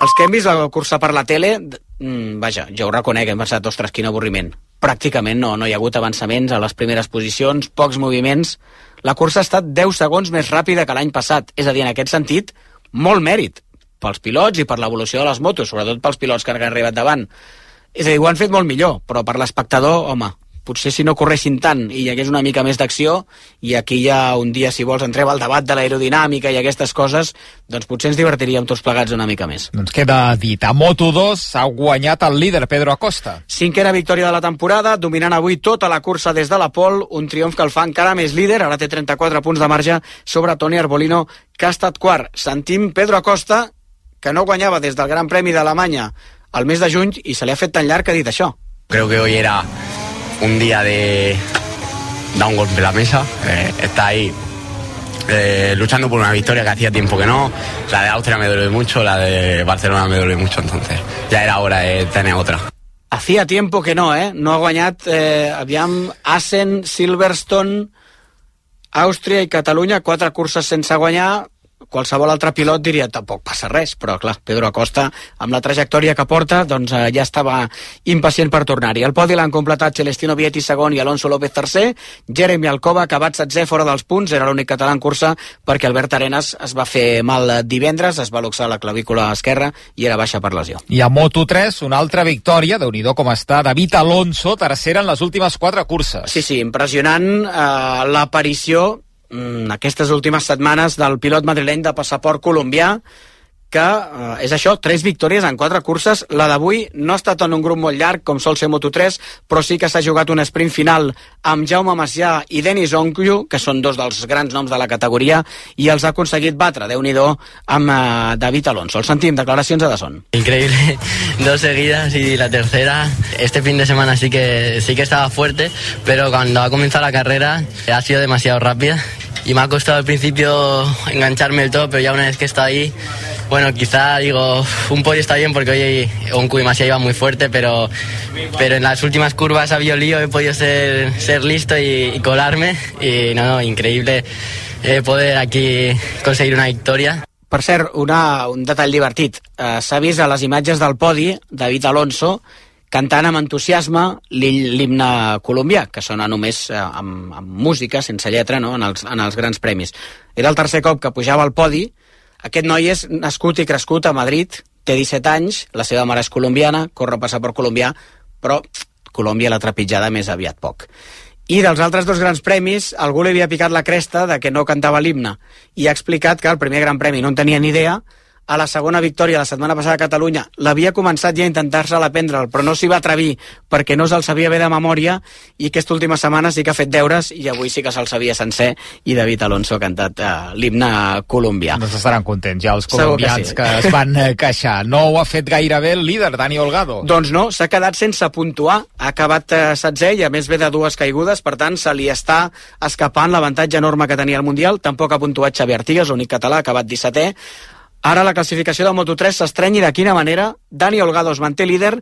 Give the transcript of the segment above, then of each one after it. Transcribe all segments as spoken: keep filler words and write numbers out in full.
Els que hem vist la cursa per la tele, mmm, vaja, jo ho reconec, hem pensat, ostres, quin avorriment. Pràcticament no, no hi ha hagut avançaments a les primeres posicions, pocs moviments. La cursa ha estat deu segons més ràpida que l'any passat, és a dir, en aquest sentit, molt mèrit pels pilots i per l'evolució de les motos, sobretot pels pilots que han arribat davant. És a dir, ho han fet molt millor, però per l'espectador, home, potser si no corressin tant i hi hagués una mica més d'acció, i aquí ja un dia, si vols, entrem al debat de l'aerodinàmica i aquestes coses, doncs potser ens divertiríem tots plegats una mica més. Doncs queda dit, a Moto dos ha guanyat el líder Pedro Acosta. Cinquena victòria de la temporada, dominant avui tota la cursa des de la pole, un triomf que el fa encara més líder, ara té trenta-quatre punts de marge sobre Toni Arbolino, que ha estat quart. Sentim Pedro Acosta, que no guanyava des del Gran Premi d'Alemanya al mes de juny, i se li ha fet tan llarg que ha dit això. Creo que hoy era un día de dar un golpe en la mesa, eh, está ahí eh, luchando por una victoria que hacía tiempo que no. La de Austria me duele mucho, la de Barcelona me duele mucho, entonces ya era hora de tener otra. Hacía tiempo que no, eh? No ha guanyat, eh, aviam, Assen, Silverstone, Àustria i Catalunya, quatre curses sense guanyar. Qualsevol altre pilot diria tampoc passa res, però clar, Pedro Acosta, amb la trajectòria que porta, doncs eh, ja estava impacient per tornar-hi. El podi l'han completat Celestino Vietti segon i Alonso López tercer, Jeremy Alcoba, acabat setzè fora dels punts, era l'únic català en cursa perquè Albert Arenas es va fer mal divendres, es va luxar la clavícula esquerra i era baixa per lesió. I a Moto tres, una altra victòria, déu-n'hi-do com està, David Alonso, tercera en les últimes quatre curses. Sí, sí, impressionant eh, l'aparició aquestes últimes setmanes del pilot madrileny de passaport colombià, que eh, és això, tres victòries en quatre curses. La d'avui no ha estat en un grup molt llarg com sol ser Moto tres, però sí que s'ha jugat un sprint final amb Jaume Macià i Denis Oncu, que són dos dels grans noms de la categoria, i els ha aconseguit batre, déu-n'hi-do, amb eh, David Alonso. El sentim, declaracions a Dazón. Increíble, dos seguidas y la tercera. Este fin de semana sí que, sí que estaba fuerte, pero cuando ha comenzado la carrera ha sido demasiado rápida. Y me ha costado al principio engancharme del todo, pero ya una vez que está ahí, bueno, quizá digo, un podio está bien porque hoy Oncu y Masia iban muy fuerte, pero, pero en las últimas curvas ha habido lío, he podido ser, ser listo y, y colarme, y no, no, increíble eh, poder aquí conseguir una victoria. Per cert, una, un detall divertit, uh, s'ha vist a les imatges del podi David Alonso cantant amb entusiasme l'himne colombià, que sona només eh, amb, amb música, sense lletra, no? en, els, en els grans premis. Era el tercer cop que pujava al podi. Aquest noi és nascut i crescut a Madrid, té disset anys, la seva mare és colombiana, corre passaport colombià, però Colòmbia l'ha trepitjada més aviat poc. I dels altres dos grans premis, algú li havia picat la cresta de que no cantava l'himne, i ha explicat que el primer gran premi no en tenia ni idea. A la segona victòria la setmana passada a Catalunya l'havia començat ja a intentar-se aprendre'l, però no s'hi va atrevir perquè no se'l sabia bé de memòria, i aquesta última setmana sí que ha fet deures i avui sí que se'l sabia sencer, i David Alonso ha cantat uh, l'himne colombià. Doncs estaran contents ja els colombians que, sí. que es van queixar. No ho ha fet gaire bé el líder, Dani Holgado. Doncs no, s'ha quedat sense puntuar, ha acabat uh, setzè i a més ve de dues caigudes, per tant se li està escapant l'avantatge enorme que tenia el Mundial. Tampoc ha puntuat Xavi Artigas, l'únic català, ha acabat dissetè. Ara la classificació de Moto tres s'estreny, i de quina manera. Dani Holgado es manté líder,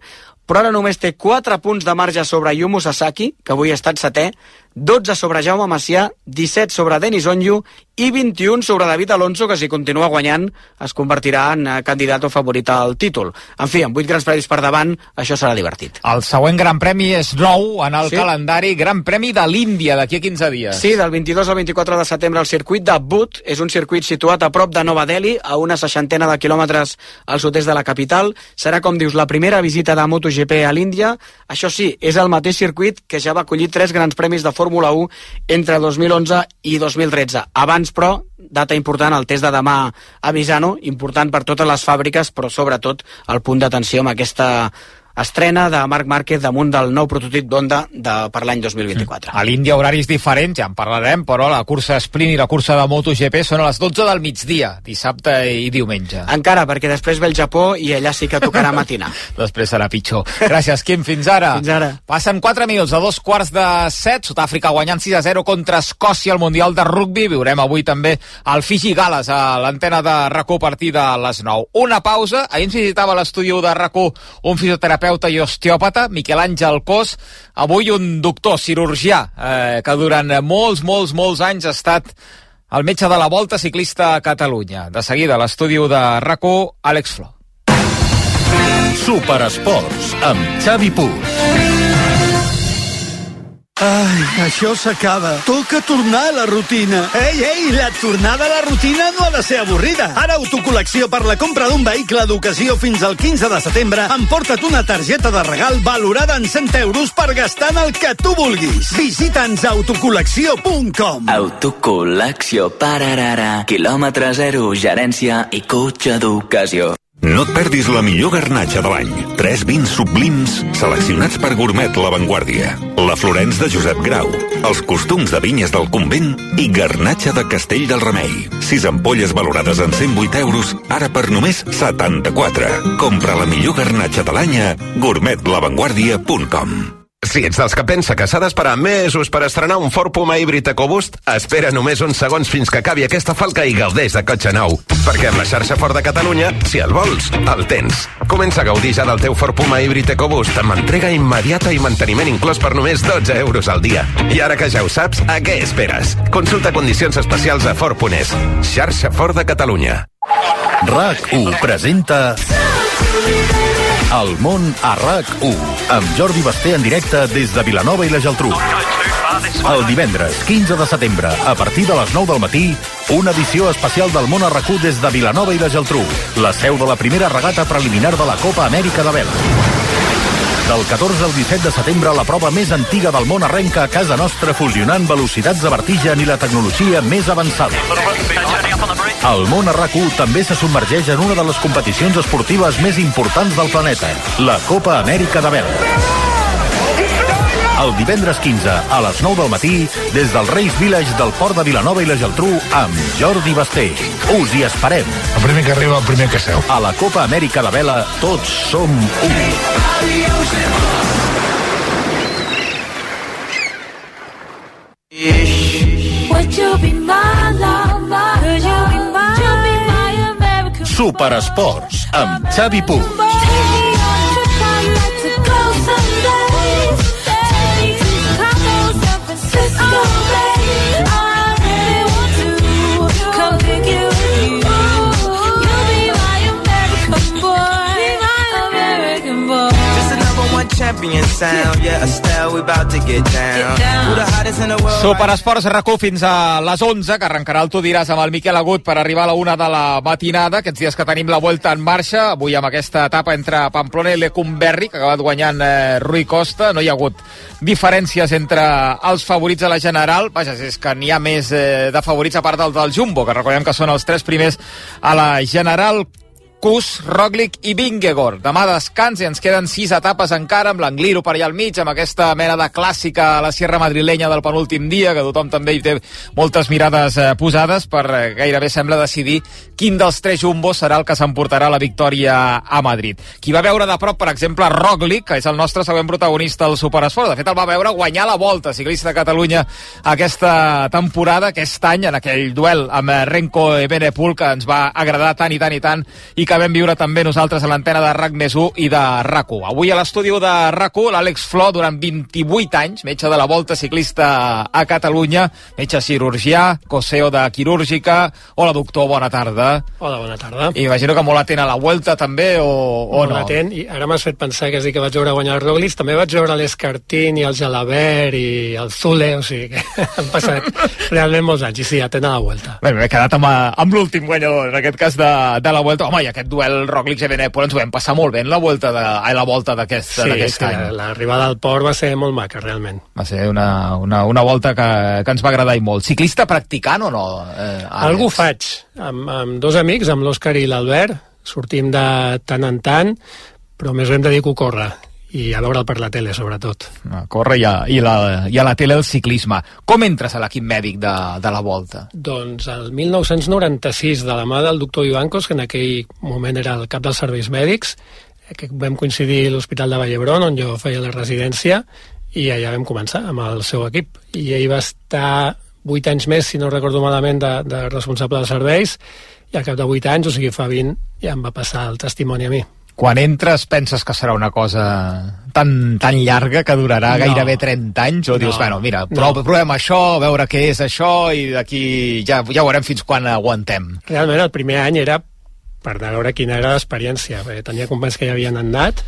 però ara només té quatre punts de marge sobre Yumu Sasaki, que avui ha estat setè, dotze sobre Jaume Macià, disset sobre Denis Onyu i vint-i-un sobre David Alonso, que si continua guanyant es convertirà en candidat o favorit al títol. En fi, amb vuit grans premis per davant, això serà divertit. El següent gran premi és nou en el sí? calendari, Gran Premi de l'Índia, d'aquí a quinze dies. Sí, del vint-i-dos al vint-i-quatre de setembre el circuit de Butt, és un circuit situat a prop de Nova Delhi, a una seixantena de quilòmetres al sud-est de la capital. Serà, com dius, la primera visita de MotoGP a l'Índia. Això sí, és el mateix circuit que ja va acollir tres grans premis de Fórmula u entre dos mil onze i dos mil tretze. Abans, però, data important, el test de demà a Misano, important per totes les fàbriques, però sobretot el punt d'atenció amb aquesta estrena de Marc Márquez damunt del nou prototip d'Honda de, per l'any dos mil vint-i-quatre. A l'Índia horaris diferents, ja en parlarem, però la cursa sprint i la cursa de MotoGP són a les dotze del migdia, dissabte i diumenge. Encara, perquè després ve el Japó i allà sí que tocarà matinar. Després serà pitjor. Gràcies, Quim, fins ara. Fins ara. Passen quatre minuts a dos quarts de set, Sud-àfrica guanyant sis a zero contra Escòcia al Mundial de Rugbi. Viurem avui també el Fiji Gales a l'antena de RAC u a partir de les nou. Una pausa, ahir ens visitava a l'estudi de RAC u un fisioterapeuta i osteòpata, Miquel Àngel Cos, avui un doctor cirurgià eh, que durant molts, molts, molts anys ha estat el metge de la Volta Ciclista a Catalunya. De seguida, a l'estudi de RAC u, Àlex Flor. Superesports, amb Xavi Puig. Ai, això s'acaba. Toca tornar a la rutina. Ei, ei, la tornada a la rutina no ha de ser avorrida. Ara Autocol·lecció, per la compra d'un vehicle d'ocasió fins al quinze de setembre, emporta't una targeta de regal valorada en cent euros per gastar en el que tu vulguis. Visita'ns a autocol·lecció punt com. Autocol·lecció, pararara, quilòmetre zero, gerència i cotxe d'ocasió. No et perdis la millor garnatxa de l'any. Tres vins sublims seleccionats per Gourmet La Vanguardia. La Florence de Josep Grau. Els costums de vinyes del Convent i garnatxa de Castell del Remei. Sis ampolles valorades en cent vuit euros, ara per només setanta-quatre. Compra la millor garnatxa de l'any a gourmet la vanguardia punt com. Si ets dels que pensa que s'ha d'esperar mesos per estrenar un Ford Puma híbrid EcoBoost, espera només uns segons fins que acabi aquesta falca i gaudeix de cotxe nou. Perquè amb la xarxa Ford de Catalunya, si el vols, el tens. Comença a gaudir ja del teu Ford Puma híbrid EcoBoost amb entrega immediata i manteniment inclòs per només dotze euros al dia. I ara que ja ho saps, a què esperes? Consulta condicions especials a Ford punt es. Xarxa Ford de Catalunya. RAC u presenta El món a RAC u, amb Jordi Basté en directe des de Vilanova i la Geltrú. El divendres quinze de setembre, a partir de les nou del matí, una edició especial del món a RAC u des de Vilanova i la Geltrú, la seu de la primera regata preliminar de la Copa Amèrica de vela. Del catorze al disset de setembre, la prova més antiga del món arrenca a casa nostra, fusionant velocitats de vertigen i la tecnologia més avançada. El món a RAC u també se submergeix en una de les competicions esportives més importants del planeta, la Copa Amèrica de vela. El divendres quinze, a les nou del matí, des del Reis Village del Port de Vilanova i la Geltrú, amb Jordi Basté. Us hi esperem. El primer que arriba, el primer que seu. A la Copa Amèrica de vela, tots som un. Superesports, amb Xavi Puig. Superesports RAC u fins a les onze, que arrencarà el Tu diràs amb el Miquel Agut per arribar a la una de la matinada. Aquests dies que tenim la Vuelta en marxa, avui amb aquesta etapa entre Pamplona i Lecumberri, que ha acabat guanyant eh, Rui Costa. No hi ha hagut diferències entre els favorits a la general. Vaja, és que n'hi ha més eh, de favorits a part del del Jumbo, que recordem que són els tres primers a la general. Kuss, Roglic i Vingegaard. Demà descans i ens queden sis etapes encara, amb l'Angliru per allà al mig, amb aquesta mena de clàssica a la Sierra Madrilenya del penúltim dia, que tothom també hi té moltes mirades eh, posades per eh, gairebé sembla decidir quin dels tres jumbos serà el que s'emportarà la victòria a Madrid. Qui va veure de prop, per exemple, Roglic, que és el nostre següent protagonista al Superesport. De fet, el va veure guanyar la Volta Ciclista de Catalunya aquesta temporada, aquest any, en aquell duel amb Renko Evenepoel, que ens va agradar tant i tant i tant, i que que vam viure també nosaltres a l'antena de RAC més u i de RAC u. Avui a l'estudi de RAC u, l'Àlex Flor, durant vint-i-vuit anys, metge de la Volta Ciclista a Catalunya, metge cirurgià, coseo de quirúrgica. Hola, doctor, bona tarda. Hola, bona tarda. I imagino que molt atent a la Vuelta també, o, o no? Molt atent, i ara m'has fet pensar que sí que vaig veure guanyar el Roglic, també vaig veure l'Escartín i el Jalabert i el Zule, o sigui que han passat realment molts anys, i sí, atent a la Vuelta. Bé, m'he quedat amb, amb l'últim guanyador, en aquest cas de, de la Vuelta. Home, i aquest duel Roglic-Evenepoel ens ho vam passar molt bé en la volta de, a la volta d'aquest sí, any. Sí, l'arribada al port va ser molt maca, realment. Va ser una, una, una volta que, que ens va agradar i molt. Ciclista practicant o no? Eh, Algú faig, amb, amb dos amics, amb l'Òscar i l'Albert, sortim de tant en tant, però més hem de dir que ho corre, i a veure'l per la tele, sobretot. A córrer i a, i, la, i a la tele el ciclisme. Com entres a l'equip mèdic de, de la Volta? Doncs el mil nou-cents noranta-sis, de la mà del doctor Ivancos, que en aquell moment era el cap dels serveis mèdics, que vam coincidir a l'Hospital de Vall d'Hebron, on jo feia la residència, i allà vam començar amb el seu equip. I ell va estar vuit anys més, si no recordo malament, de, de responsable dels serveis, i al cap de vuit anys, o sigui, fa vint, ja em va passar el testimoni a mi. Quan entres penses que serà una cosa tan, tan llarga que durarà no. gairebé trenta anys, o dius, no. bueno, mira, prov, no. provem això, veure què és això, i d'aquí ja, ja veurem fins quan aguantem. Realment el primer any era per veure quina era l'experiència, perquè tenia companys que ja havien anat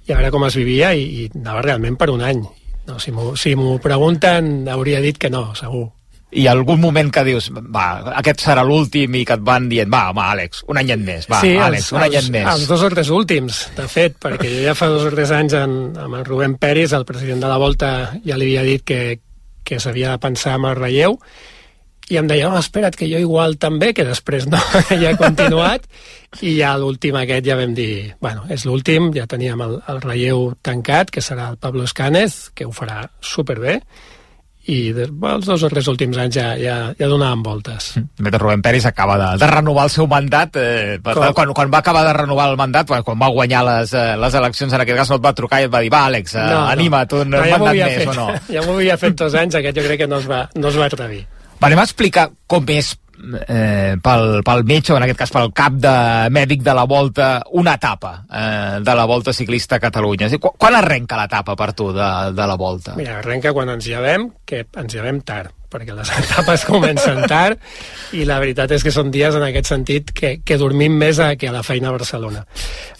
i a veure com es vivia, i, i anava realment per un any. No, si m'ho si m'ho pregunten hauria dit que no, segur. I algun moment que dius, va, aquest serà l'últim, i que et van dient, va, home, Àlex, un anyet més, va, sí, Àlex, els, un anyet els, més. Els dos o tres últims, de fet, perquè jo ja fa dos o tres anys en, amb el Rubén Peris, el president de la Volta, ja li havia dit que, que s'havia de pensar en el relleu, i em deia, oh, espera't, que jo igual també, que després no, ja he continuat, i ja l'últim aquest ja vam dir, bueno, és l'últim, ja teníem el, el relleu tancat, que serà el Pablo Escànez, que ho farà superbé, i de, bueno, els dos o tres últims anys ja, ja, ja donàvem voltes. Mentre Rubén Peris acaba de, de renovar el seu mandat, eh, quan, quan va acabar de renovar el mandat, quan va guanyar les, eh, les eleccions, en aquest cas no et va trucar i et va dir, va, Àlex, eh, no, anima't, un no, ja mandat més fet, o no? Ja m'ho havia fet dos anys, aquest jo crec que no es va, no es va atrevir. Va, anem a explicar com és eh, pel, pel metge, o en aquest cas pel cap de mèdic de la Volta, una etapa eh, de la Volta Ciclista a Catalunya. És dir, quan, quan arrenca l'etapa per tu de, de la Volta? Mira, arrenca quan ens llevem, que ens llevem tard, perquè les etapes comencen tard, i la veritat és que són dies en aquest sentit que, que dormim més a, que a la feina a Barcelona.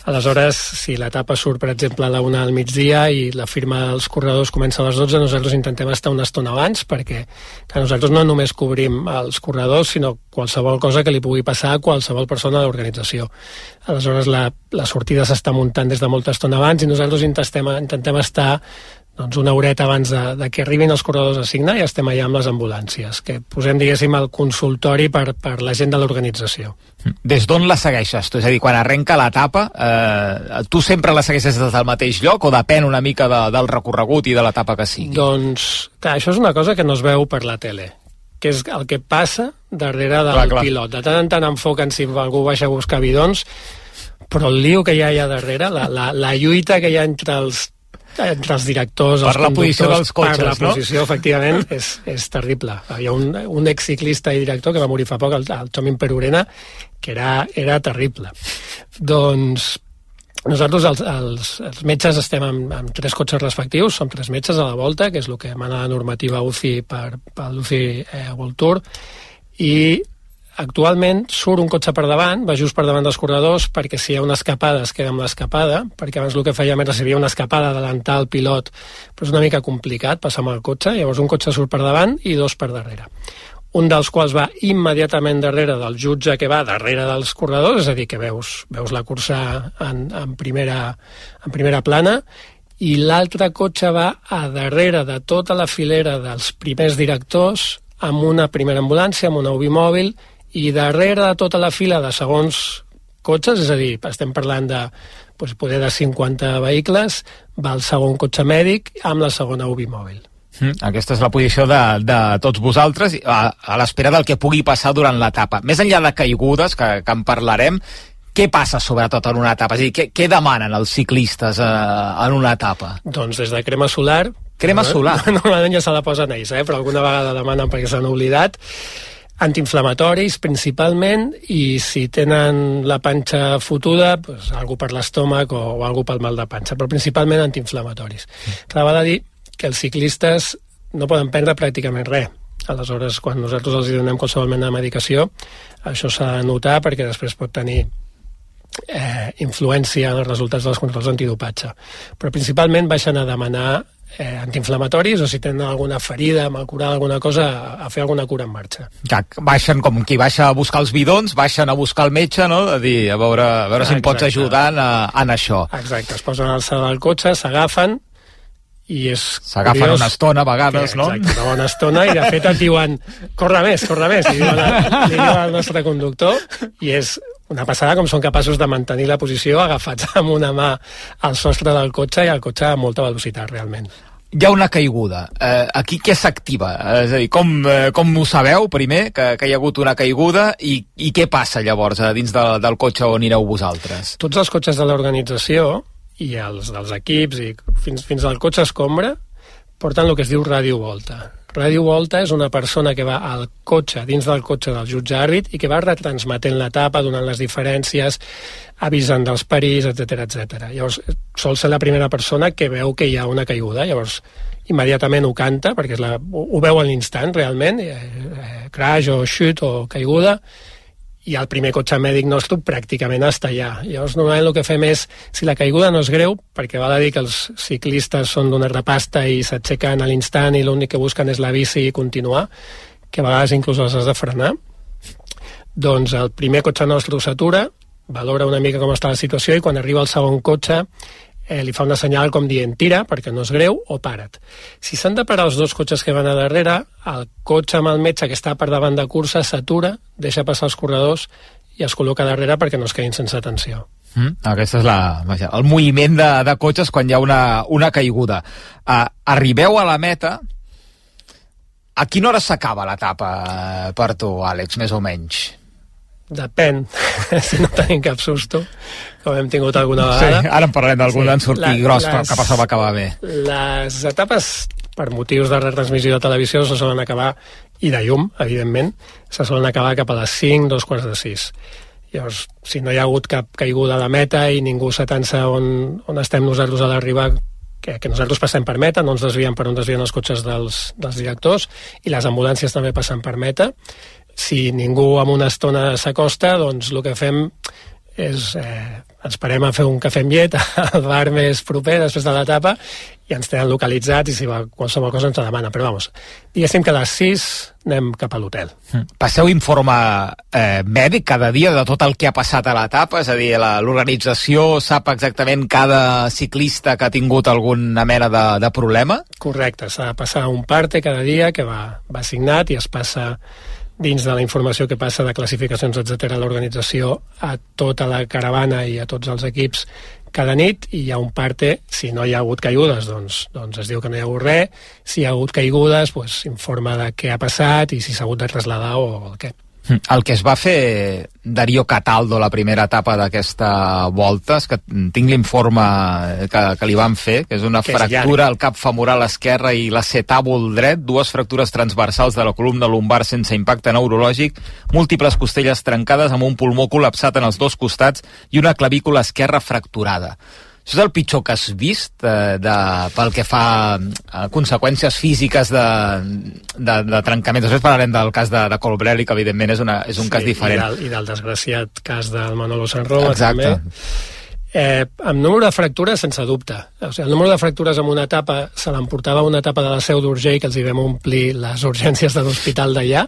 Aleshores, si l'etapa surt, per exemple, a la una al migdia i la firma dels corredors comença a les dotze, nosaltres intentem estar una estona abans, perquè que nosaltres no només cobrim els corredors, sinó qualsevol cosa que li pugui passar a qualsevol persona de l'organització. Aleshores, la, la sortida s'està muntant des de molta estona abans, i nosaltres intentem, intentem estar doncs una horeta abans de, de que arribin els corredors a signar, i estem allà amb les ambulàncies, que posem, diguéssim, el consultori per, per la gent de l'organització. Des d'on la segueixes? Tu? És a dir, quan arrenca l'etapa, eh, tu sempre la segueixes des del mateix lloc, o depèn una mica de, del recorregut i de l'etapa que sigui? Doncs, clar, això és una cosa que no es veu per la tele, que és el que passa darrere del clar, clar. pilot. De tant en tant enfoquen si algú baixa a buscar bidons, però el lío que hi ha allà darrere, la, la, la lluita que hi ha entre els entre els directors, per els la posició dels cotxes, per la no? posició, efectivament, és, és terrible. Hi ha un, un exciclista i director que va morir fa poc, el, el Chomin Perurena, que era, era terrible. Doncs nosaltres, els, els, els metges, estem amb, amb tres cotxes respectius, som tres metges a la Volta, que és el que emana la normativa U C I per, per l'U C I eh, World Tour, i actualment surt un cotxe per davant, va just per davant dels corredors, perquè si hi ha una escapada es queda amb l'escapada, perquè abans el que fèiem era si hi havia una escapada adelantar el pilot, però és una mica complicat passar amb el cotxe, llavors un cotxe surt per davant i dos per darrere. Un dels quals va immediatament darrere del jutge que va darrere dels corredors, és a dir, que veus, veus la cursa en, en, primera, en primera plana, i l'altre cotxe va a darrere de tota la filera dels primers directors, amb una primera ambulància, amb una U B I mòbil, i darrere de tota la fila de segons cotxes, és a dir, estem parlant de doncs, poder de cinquanta vehicles, va el segon cotxe mèdic amb la segona U B I mòbil. Mm, aquesta és la posició de, de tots vosaltres, a, a l'espera del que pugui passar durant l'etapa. Més enllà de caigudes, que, que en parlarem, què passa sobretot en una etapa? És a dir, què, què demanen els ciclistes eh, en una etapa? Doncs des de crema solar... Crema solar? Normalment ja se la posen ells, eh? Però alguna vegada demanen perquè s'han oblidat. Antiinflamatoris, principalment, i si tenen la panxa fotuda, doncs, algú per l'estómac o, o algú pel mal de panxa, però principalment antiinflamatoris. Clar, val a dir que els ciclistes no poden prendre pràcticament res. Aleshores, quan nosaltres els donem qualsevol mena de medicació, això s'ha de notar perquè després pot tenir eh, influència en els resultats dels controls antidopatge. Però principalment baixen a demanar eh, antiinflamatoris, o si tenen alguna ferida, mal curada, alguna cosa, a, a fer alguna cura en marxa. Ja, baixen com qui baixa a buscar els bidons, baixen a buscar el metge, no? A dir, a veure, a veure si em pots ajudar en, en això. Exacte, es posen al salt del cotxe, s'agafen, i és s'agafen curiós, una estona a vegades, que, no? Exacte, una bona estona, i de fet et diuen corre més, corre més, li diuen, li diuen al nostre conductor, i és una passada com són capaços de mantenir la posició agafats amb una mà al sostre del cotxe i el cotxe a molta velocitat, realment. Hi ha una caiguda. Eh, aquí què s'activa? És a dir, com, eh, com ho sabeu, primer, que, que hi ha hagut una caiguda, i, i què passa llavors a dins de, del cotxe on anireu vosaltres? Tots els cotxes de l'organització i els dels equips i fins, fins al cotxe escombra porten el que es diu radiovolta. Radiovolta és una persona que va al cotxe, dins del cotxe del jutge àrbit, i que va retransmetent l'etapa, donant les diferències, avisant dels perills, etcètera, etcètera. Llavors, sol ser la primera persona que veu que hi ha una caiguda, llavors immediatament ho canta, perquè és la, ho, ho veu a l'instant, realment, eh, eh, crash o chute o caiguda, i el primer cotxe mèdic nostre pràcticament està allà. Llavors, normalment el que fem és, si la caiguda no és greu, perquè val a dir que els ciclistes són d'una repasta i s'aixequen a l'instant i l'únic que busquen és la bici i continuar, que a vegades inclús els has de frenar, doncs el primer cotxe nostre s'atura, valora una mica com està la situació i quan arriba el segon cotxe eh, li fa una senyal com dient tira perquè no és greu o para't. Si s'han de parar els dos cotxes que van a darrere, el cotxe amb el metge que està per davant de cursa s'atura, deixa passar els corredors i es col·loca darrere perquè no es quedin sense atenció. Mm, aquesta és la, vaja, el moviment de, de cotxes quan hi ha una, una caiguda. Uh, arribeu a la meta. A quina hora s'acaba l'etapa per tu, Àlex, més o menys? Depèn, si no tenim cap susto, com hem tingut alguna vegada. Sí, ara en parlarem d'algun sí, en sortir la, gros, les, que passava a acabar bé. Les etapes, per motius de retransmissió de televisió, se solen acabar, i de llum, evidentment, se solen acabar cap a les cinc, dos quarts de sis. Llavors, si no hi ha hagut cap caiguda a la meta i ningú s'atansa on, on estem nosaltres a l'arribar, que, que nosaltres passem per meta, no ens desviem per on desvien els cotxes dels, dels directors, i les ambulàncies també passen per meta. Si ningú en una estona s'acosta, doncs el que fem és eh, ens parem a fer un cafè amb llet al bar més proper després de l'etapa i ens tenen localitzats i si va, qualsevol cosa ens la demana. Però vamos, diguéssim que a les sis anem cap a l'hotel. Passeu informe eh, mèdic cada dia de tot el que ha passat a l'etapa? És a dir, l'organització sap exactament cada ciclista que ha tingut alguna mena de, de problema? Correcte, s'ha de passar un parte cada dia que va, va signat i es passa dins de la informació que passa de classificacions, etcètera, a l'organització, a tota la caravana i a tots els equips cada nit, i hi ha un parte, si no hi ha hagut caigudes, doncs, doncs es diu que no hi ha hagut res, si hi ha hagut caigudes, doncs informa de què ha passat i si s'ha hagut de traslladar o el què. El que es va fer Darío Cataldo la primera etapa d'aquesta volta, és que tinc l'informe que, que li van fer, que és una que fractura al cap femoral esquerre i l'acetàbul dret, dues fractures transversals de la columna lumbar sense impacte neurològic, múltiples costelles trencades amb un pulmó col·lapsat en els dos costats i una clavícula esquerra fracturada. Això és el pitjor que has vist eh, de, pel que fa a conseqüències físiques de, de, de trencament. Després parlarem del cas de, de Colbrelli, que evidentment és, una, és un sí, cas diferent. I del, I del desgraciat cas del Manolo Sanroma també. Eh, amb número de fractures, sense dubte. O sigui, el número de fractures en una etapa se l'emportava una etapa de la Seu d'Urgell, que els hi vam omplir les urgències de l'hospital d'allà,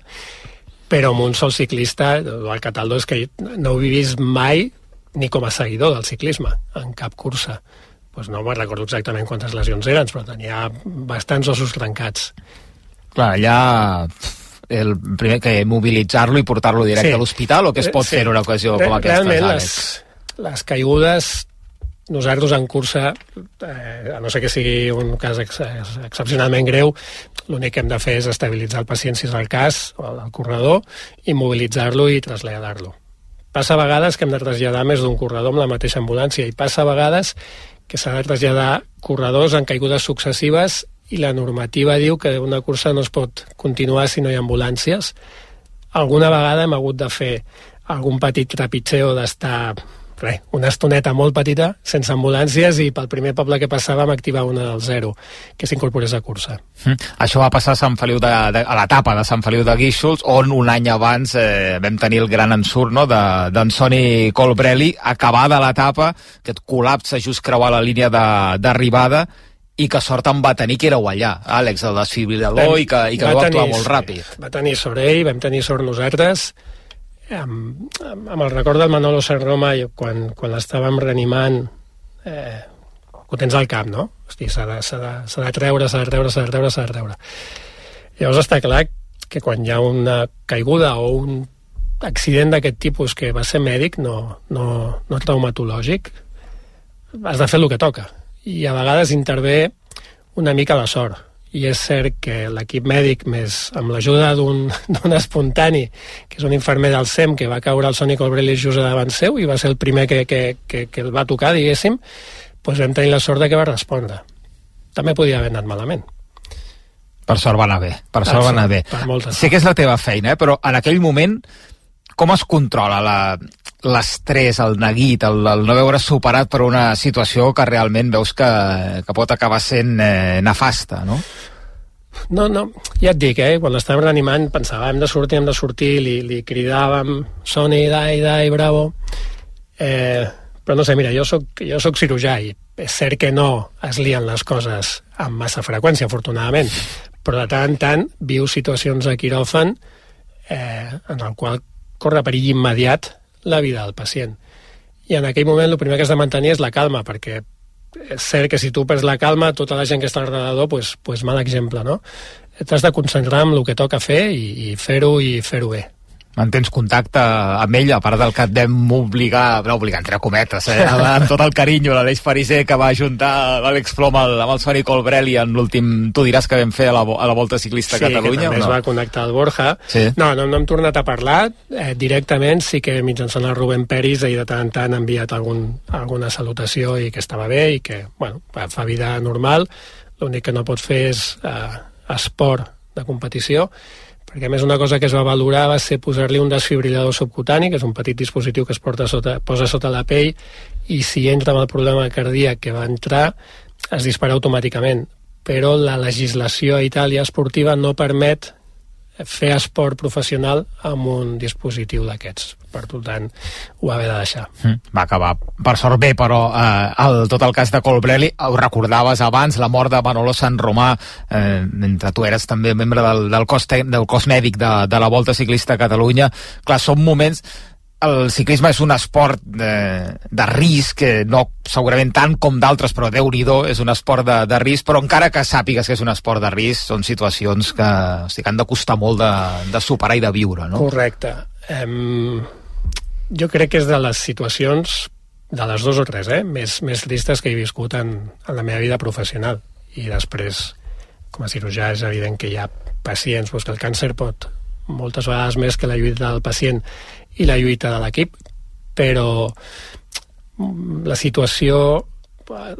però amb un sol ciclista, el Cataldo, és que no ho he vist mai ni com a seguidor del ciclisme, en cap cursa. Pues no me'n recordo exactament quantes lesions eren, però tenia bastants ossos trencats. Clar, allà el primer que mobilitzar-lo i portar-lo directe sí. a l'hospital, o que es pot sí. fer en una ocasió com aquesta, Realment, Àlex? Les, les caigudes, nosaltres en cursa, eh, a no ser que sigui un cas ex excepcionalment greu, l'únic que hem de fer és estabilitzar el pacient, si és el cas, o el corredor, i mobilitzar-lo i traslladar-lo. Passa a vegades que hem de traslladar més d'un corredor amb la mateixa ambulància i passa a vegades que s'ha de traslladar corredors en caigudes successives i la normativa diu que una cursa no es pot continuar si no hi ha ambulàncies. Alguna vegada hem hagut de fer algun petit trepitxeo d'estar res, una estoneta molt petita, sense ambulàncies, i pel primer poble que passàvem activar una del zero, que s'incorporés a cursa. Mm. Això va passar a Sant Feliu de, de, a l'etapa de Sant Feliu de Guíxols, on un any abans eh, vam tenir el gran ensurt, no?, d'en Sonny Colbrelli, acabada l'etapa, aquest col·lapse just creuar la línia d'arribada, i que sort en va tenir que éreu allà, Àlex, el desfibrilador, i que, i que va actuar molt ràpid. Va tenir sort ell, vam tenir sort nosaltres. Amb, amb el record del Manolo Sanroma, quan, quan l'estàvem reanimant, eh, ho tens al cap, no? Hosti, s'ha de, s'ha de, s'ha de treure, s'ha de treure, s'ha de treure, s'ha de treure. Llavors està clar que quan hi ha una caiguda o un accident d'aquest tipus que va ser mèdic, no, no, no traumatològic, has de fer el que toca. I a vegades intervé una mica la sort. I és cert que l'equip mèdic, més amb l'ajuda d'un espontani, que és un infermer del S E M, que va caure el Sonny Colbrelli just davant seu i va ser el primer que, que, que, que el va tocar, diguéssim, doncs vam tenir la sort de que va respondre. També podia haver anat malament. Per sort va anar bé, per sort va anar bé. Sé que és la teva feina, eh? Però en aquell moment, com es controla la... l'estrès, el neguit, el, el no veure superat per una situació que realment veus que, que pot acabar sent eh, nefasta, no? No, no, ja et dic, eh? Quan l'estàvem reanimant pensava, hem de sortir, hem de sortir, li, li cridàvem, Soni, dai, dai, bravo. Eh, però no sé, mira, jo soc, jo soc cirurgià i és cert que no es lien les coses amb massa freqüència, afortunadament, però de tant en tant viu situacions de quiròfan eh, en el qual corre perill immediat la vida del pacient. I en aquell moment el primer que has de mantenir és la calma, perquè és cert que si tu perds la calma, tota la gent que està alrededor, pues, pues mal exemple, no? T'has de concentrar en el que toca fer i, i fer-ho i fer-ho bé. Mantens contacte amb ell, a part del que et vam obligar, no obligar entre cometes, eh, amb tot el carinyo, l'Aleix Fariser que va ajuntar l'Àlex Plom amb el, amb el Soni Colbrelli en l'últim, tu diràs que vam fer a la, a la Volta Ciclista sí, a Catalunya. Sí, que també no? es va connectar al Borja. Sí. No, no, no hem tornat a parlar eh, directament, sí que mitjançant el Rubén Peris ell de tant en tant ha enviat algun, alguna salutació i que estava bé i que, bueno, fa vida normal, l'únic que no pots fer és eh, esport de competició, perquè a més una cosa que es va valorar va ser posar-li un desfibrilador subcutani, que és un petit dispositiu que es porta sota, posa sota la pell, i si entra amb el problema cardíac que va entrar, es dispara automàticament. Però la legislació a Itàlia esportiva no permet fer esport professional amb un dispositiu d'aquests. Per tant, ho va haver de deixar. Mm, va acabar, per sort bé, però eh, el, tot el cas de Colbrelli, ho recordaves abans, la mort de Manolo San Romà, eh, mentre tu eres també membre del, del, cos, del cos mèdic de, de la Volta Ciclista a Catalunya. Clar, són moments... El ciclisme és un esport de, de risc, que no segurament tant com d'altres, però Déu-n'hi-do, és un esport de, de risc, però encara que sàpigues que és un esport de risc, són situacions que, hosti, que han de costar molt de, de superar i de viure, no? Correcte. Um, jo crec que és de les situacions, de les dues o tres, eh, més, més tristes que he viscut en, en la meva vida professional. I després, com a cirurgià, és evident que hi ha pacients, doncs que el càncer pot moltes vegades més que la lluita del pacient i la lluita de l'equip, però la situació,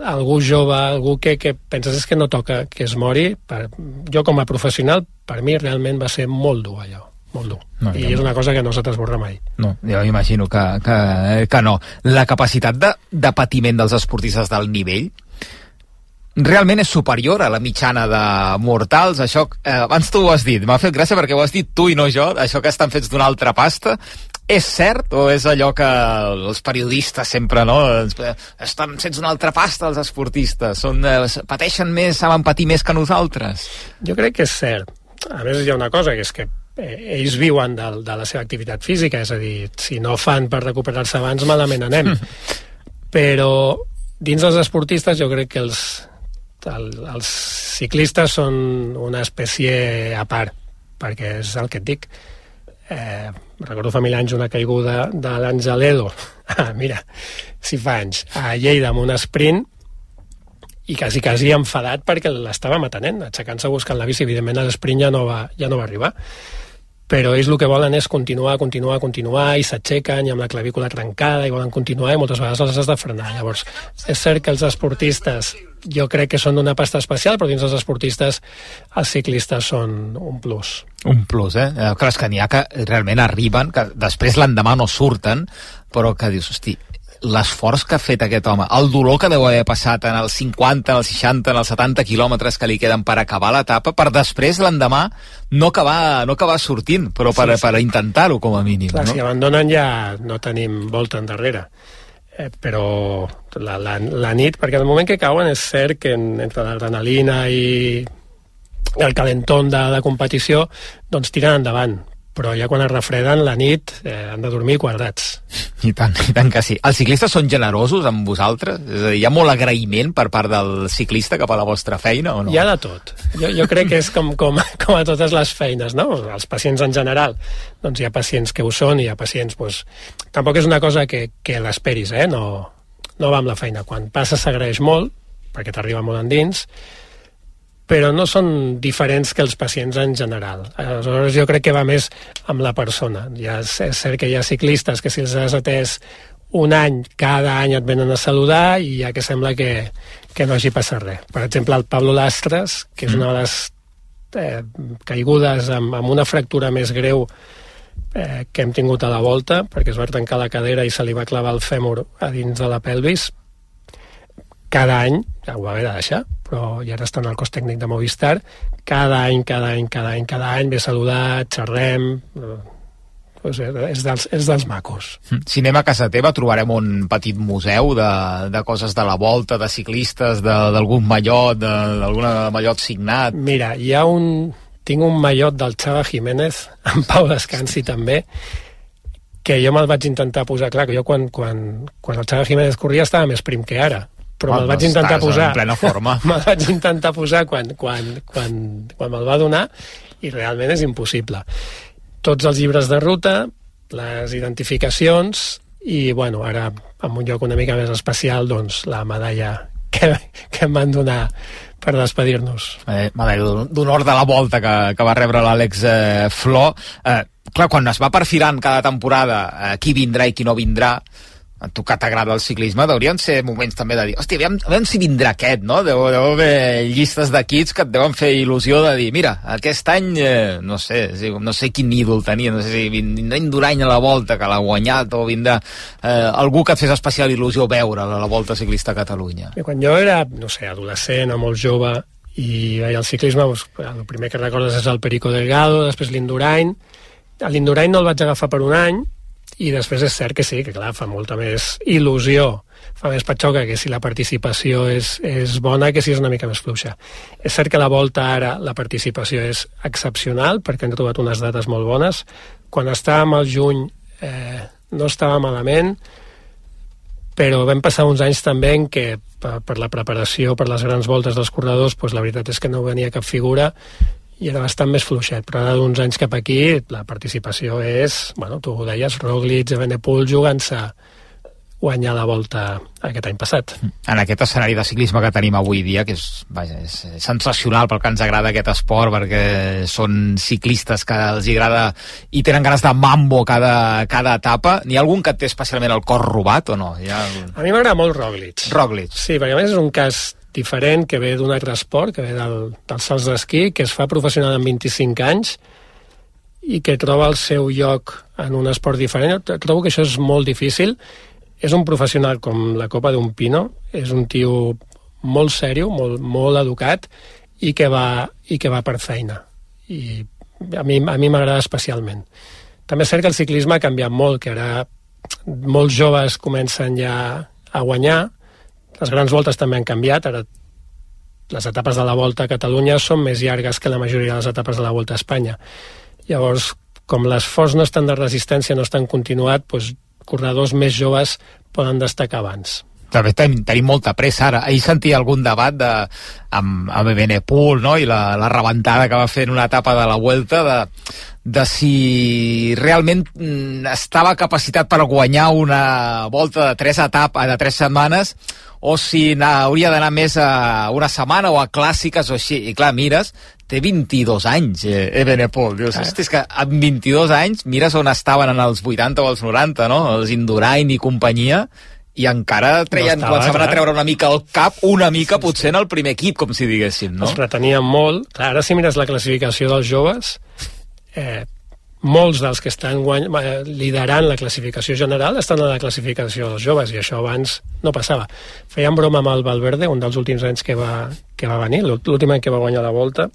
algú jove, algú que, que penses és que no toca que es mori, per, jo com a professional, per mi realment va ser molt dur allò, molt dur. No, I és una cosa que no se t'esborra mai. No, jo imagino que, que, que no. La capacitat de, de patiment dels esportistes d'alt nivell realment és superior a la mitjana de mortals, això, eh, abans tu ho has dit, m'ha fet gràcia perquè ho has dit tu i no jo, això que estan fets d'una altra pasta, és cert o és allò que els periodistes sempre, no, estan fets d'una altra pasta els esportistes, són, eh, pateixen més, saben patir més que nosaltres? Jo crec que és cert. A més hi ha una cosa, que és que eh, ells viuen de, de la seva activitat física, és a dir, si no fan per recuperar-se abans, malament anem. Però dins dels esportistes jo crec que els El, els ciclistes són una espècie a part, perquè és el que et dic. Eh, recordo fa mil anys una caiguda de l'Angelelo, ah, mira, si fa anys, a Lleida amb un sprint, i quasi, quasi enfadat perquè l'estava matant, aixecant-se buscant la bici. Evidentment l'esprint ja, no va, ja no va arribar, però ells el que volen és continuar, continuar, continuar, i s'aixequen i amb la clavícula trencada i volen continuar, i moltes vegades els has de frenar. Llavors, és cert que els esportistes jo crec que són d'una pasta especial, però dins dels esportistes els ciclistes són un plus. Un plus, eh? eh clar, és que n'hi ha que realment arriben, que després l'endemà no surten, però que dius, hosti, l'esforç que ha fet aquest home, el dolor que deu haver passat en els cinquanta, en els seixanta, en els setanta quilòmetres que li queden per acabar l'etapa, per després l'endemà no acabar, no acabar sortint, però per, sí, sí. per intentar-ho com a mínim. Clar, no? Si abandonen ja no tenim volta endarrere. Eh, però la, la, la nit, perquè el moment que cauen és cert que en, entre l'adrenalina i el calentón de la competició doncs tiren endavant, però ja quan es refreden la nit eh, han de dormir quadrats. I tant, i tant que sí. Els ciclistes són generosos amb vosaltres? És a dir, hi ha molt agraïment per part del ciclista cap a la vostra feina o no? Hi ha de tot. Jo, jo crec que és com, com, com a totes les feines, no? Els pacients en general. Doncs hi ha pacients que ho són i hi ha pacients... Doncs... Tampoc és una cosa que, que l'esperis, eh? No, no va amb la feina. Quan passa s'agraeix molt, perquè t'arriba molt endins, però no són diferents que els pacients en general. Aleshores jo crec que va més amb la persona. Ja és, és cert que hi ha ciclistes que si els has atès un any, cada any et venen a saludar i ja que sembla que, que no hagi passat res. Per exemple, el Pablo Lastres, que és una de les eh, caigudes amb, amb una fractura més greu eh, que hem tingut a la Volta, perquè es va trencar la cadera i se li va clavar el fèmur a dins de la pelvis, cada any ja ho va haver de deixar, però ja ara està en el cos tècnic de Movistar. Cada any, cada any, cada any, cada any ve saludat, xerrem... Pues és, dels, és dels macos. Si anem a casa teva trobarem un petit museu de, de coses de la volta, de ciclistes, d'algun mallot, d'algun mallot signat. Mira, hi ha un... Tinc un mallot del Chava Jiménez, en Pau Descansi també, que jo me'l vaig intentar posar, clar, que jo quan, quan, quan el Chava Jiménez corria estava més prim que ara, però me'l vaig intentar posar... en plena forma. Me'l vaig intentar posar quan, quan, quan, quan me'l va donar i realment és impossible. Tots els llibres de ruta, les identificacions i, bueno, ara en un lloc una mica més especial, doncs, la medalla que, que em van donar per despedir-nos. Eh, medalla d'honor de la volta que, que va rebre l'Àlex eh, Flor. Eh, clar, quan es va perfilant cada temporada eh, qui vindrà i qui no vindrà, a tu que t'agrada el ciclisme, deurien ser moments també de dir, hòstia, aviam, aviam si vindrà aquest, no? Deu, deu haver llistes d'equips que et deuen fer il·lusió de dir, mira, aquest any, eh, no sé, no sé quin ídol tenia, no sé si vindrà Indurain a la Volta, que l'ha guanyat, o vindrà eh, algú que et fes especial il·lusió veure a la Volta Ciclista a Catalunya. I quan jo era, no sé, adolescent o molt jove, i veia el ciclisme, doncs, el primer que recordes és el Perico Delgado, després l'Indurain. L'Indurain no el vaig agafar per un any, i després és cert que sí, que clar, fa molta més il·lusió, fa més patxoca que si la participació és, és bona que si és una mica més fluixa. És cert que la Volta ara la participació és excepcional perquè han trobat unes dates molt bones. Quan estàvem al juny eh, no estava malament, però vam passar uns anys també en què per, per la preparació, per les grans voltes dels corredors, doncs la veritat és que no venia cap figura i era bastant més fluixet, però ara d'uns anys cap aquí la participació és, bueno, tu ho deies, Roglic, Evenepoel jugant-se guanyar la Volta aquest any passat. En aquest escenari de ciclisme que tenim avui dia, que és, vaja, és sensacional pel que ens agrada aquest esport, perquè són ciclistes que els agrada i tenen ganes de mambo cada, cada etapa, n'hi ha algun que té especialment el cor robat o no? Hi ha... A mi m'agrada molt Roglic. Roglic. Sí, perquè a més és un cas diferent, que ve d'un altre esport, que ve del, dels salts d'esquí, que es fa professional amb vint-i-cinc anys i que troba el seu lloc en un esport diferent. Trobo que això és molt difícil. És un professional com la copa d'un pino, és un tio molt sèrio, molt, molt educat i que va, i que va per feina. I a mi, a mi m'agrada especialment. També és cert que el ciclisme ha canviat molt, que ara molts joves comencen ja a guanyar. Les grans voltes també han canviat, ara les etapes de la Volta a Catalunya són més llargues que la majoria de les etapes de la Volta a Espanya. Llavors, com les forts no estan de resistència, no estan continuat, doncs corredors més joves poden destacar abans. També tenim, tenim molta pressa ara. Ahir sentia algun debat de, amb, amb Evenepoel, no? I la, la rebentada que va fer en una etapa de la Vuelta de, de si realment mm, estava capacitat per guanyar una volta de tres etapes, de tres setmanes, o si hauria d'anar més a una setmana o a clàssiques o així. I clar, mires, té vint-i-dos anys, eh, Evenepoel. Dius, hosti, és que amb vint-i-dos anys mires on estaven en els vuitanta o els noranta, no? Els Indurain i companyia, i encara treien, no estava, començaven a treure una mica el cap, una mica sí, potser sí. En el primer equip, com si diguéssim, no? Els retenien molt. Clar, ara si mires la classificació dels joves, eh, molts dels que estan guany... liderant la classificació general estan a la classificació dels joves, i això abans no passava. Feien broma amb el Valverde, un dels últims anys que va, que va venir, l'últim any que va guanyar la Volta,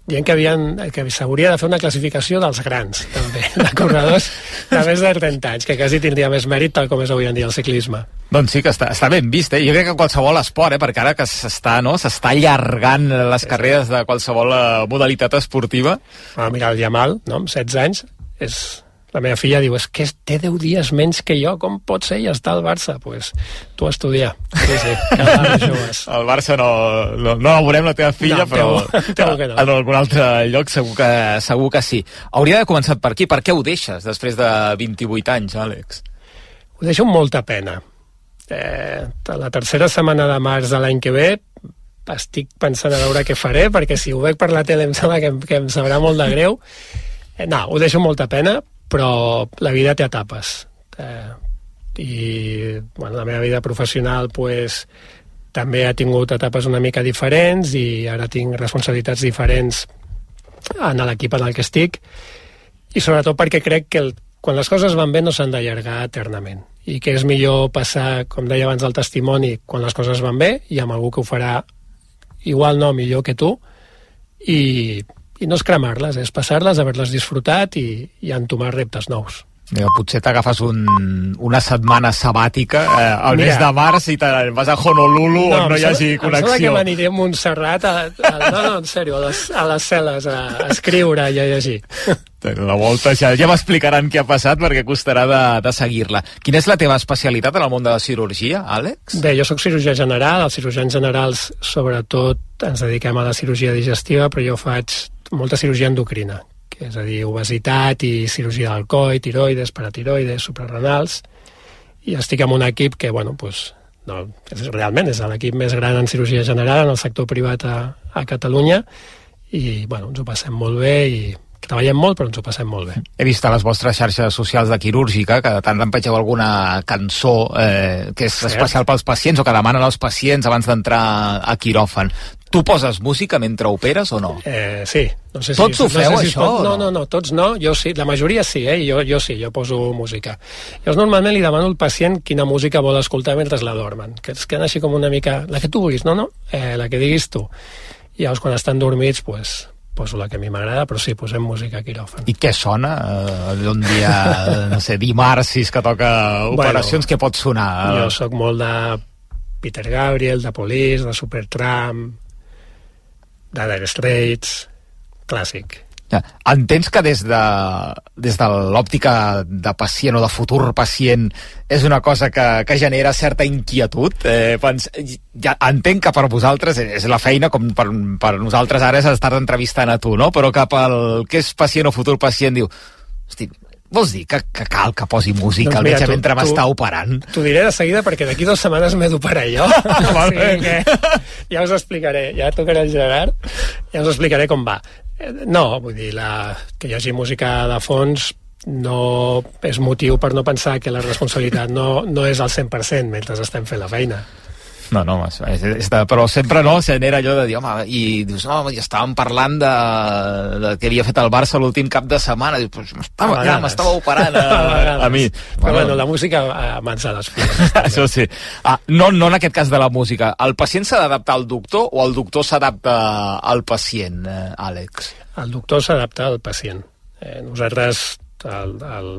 dient que, havien, que s'hauria de fer una classificació dels grans, també, de corredors de més de trenta anys, que quasi tindria més mèrit tal com és avui en dia el ciclisme. Doncs sí, que està, està ben vist, eh? Jo crec que qualsevol esport, eh? Perquè ara que s'està, no? s'està allargant les sí, carreres sí. de qualsevol modalitat esportiva. Ah, mira, el Yamal, no? Amb setze anys, és... La meva filla diu, és que té deu dies menys que jo, com pot ser? I està al Barça. Doncs pues, tu a estudiar. Sí, sí, cada joves. El Barça no, no, no la veurem, la teva filla, no, però temo que no. En algun altre lloc segur que, segur que sí. Hauria de començar per aquí. Per què ho deixes després de vint-i-vuit anys, Àlex? Ho deixo amb molta pena. Eh, la tercera setmana de març de l'any que ve estic pensant a veure què faré, perquè si ho veig per la tele em sembla que, que em sabrà molt de greu. Eh, no, ho deixo amb molta pena, però la vida té etapes. Eh, I bueno, la meva vida professional pues, també ha tingut etapes una mica diferents i ara tinc responsabilitats diferents en l'equip en el que estic, i sobretot perquè crec que el, quan les coses van bé no s'han d'allargar eternament, i que és millor passar, com deia abans, el testimoni quan les coses van bé i amb algú que ho farà igual no, millor que tu, i, i no és cremar-les, és passar-les, haver-les disfrutat i, i entomar reptes nous. Mira, potser t'agafes un, una setmana sabàtica eh, al Mira, mes de març i te'n vas a Honolulu no, on no hi hagi em connexió. Em sembla que m'aniré a Montserrat, a, a, no, no, en sèrio, a les, a les cel·les, a, a escriure i a llegir. La volta ja, ja m'explicaran què ha passat perquè costarà de, de seguir-la. Quina és la teva especialitat en el món de la cirurgia, Àlex? Bé, jo sóc cirurgià general, els cirurgians generals sobretot ens dediquem a la cirurgia digestiva, però jo faig molta cirurgia endocrina, que és a dir, obesitat i cirurgia del coll, tiroides, paratiroides, suprarrenals, i estic en un equip que, bueno, pues, no, és, realment és l'equip més gran en cirurgia general en el sector privat a, a Catalunya, i, bueno, ens ho passem molt bé i treballem molt, però ens ho passem molt bé. He vist a les vostres xarxes socials de quirúrgica que de tant en pegeu alguna cançó eh, que és Cert. especial pels pacients o que demanen als pacients abans d'entrar a quiròfan. Tu poses música mentre operes o no? Eh, sí. No sé tots si, ho feu, no sé si això? Pot... No, no, no, tots no. Jo sí, la majoria sí, eh? Jo, jo sí, jo poso música. Llavors normalment li demano al pacient quina música vol escoltar mentre la dormen, que es queden així com una mica... La que tu vulguis, no, no? Eh, la que diguis tu. I llavors quan estan dormits, pues, poso la que a mi m'agrada, però sí, posem música a quiròfan. I què sona? Uh, un dia, no sé, dimarts, si és que toca operacions, bueno, què pot sonar? Jo sóc molt de Peter Gabriel, de Police, de Supertramp, de Dire Straits, clàssic. Entens que des de, des de l'òptica de pacient o de futur pacient és una cosa que, que genera certa inquietud? Eh, pens, ja, entenc que per vosaltres és la feina, com per, per nosaltres ara és estar entrevistant a tu, no? Però cap al que és pacient o futur pacient diu, hosti, vols dir que, que cal que posi música doncs al metge mentre m'està operant? T'ho diré de seguida perquè d'aquí dues setmanes m'he d'operar jo. O sigui que ja us explicaré, ja tocaré el Gerard, ja us explicaré com va. No, vull dir, la, que hi hagi música de fons no és motiu per no pensar que la responsabilitat no, no és al cent per cent mentre estem fent la feina. No, no, és, és de, però sempre no, genera allò de dir, home, i dius, no, ja estàvem parlant de, de què havia fet el Barça l'últim cap de setmana, dius, pues, m'estava, ja m'estava operant a, a, a mi. Però bueno, bueno la música mans a les filles. Això sí. Ah, no, no en aquest cas de la música. El pacient s'ha d'adaptar al doctor o el doctor s'adapta al pacient, eh, Àlex? El doctor s'adapta al pacient. Eh, nosaltres, el, el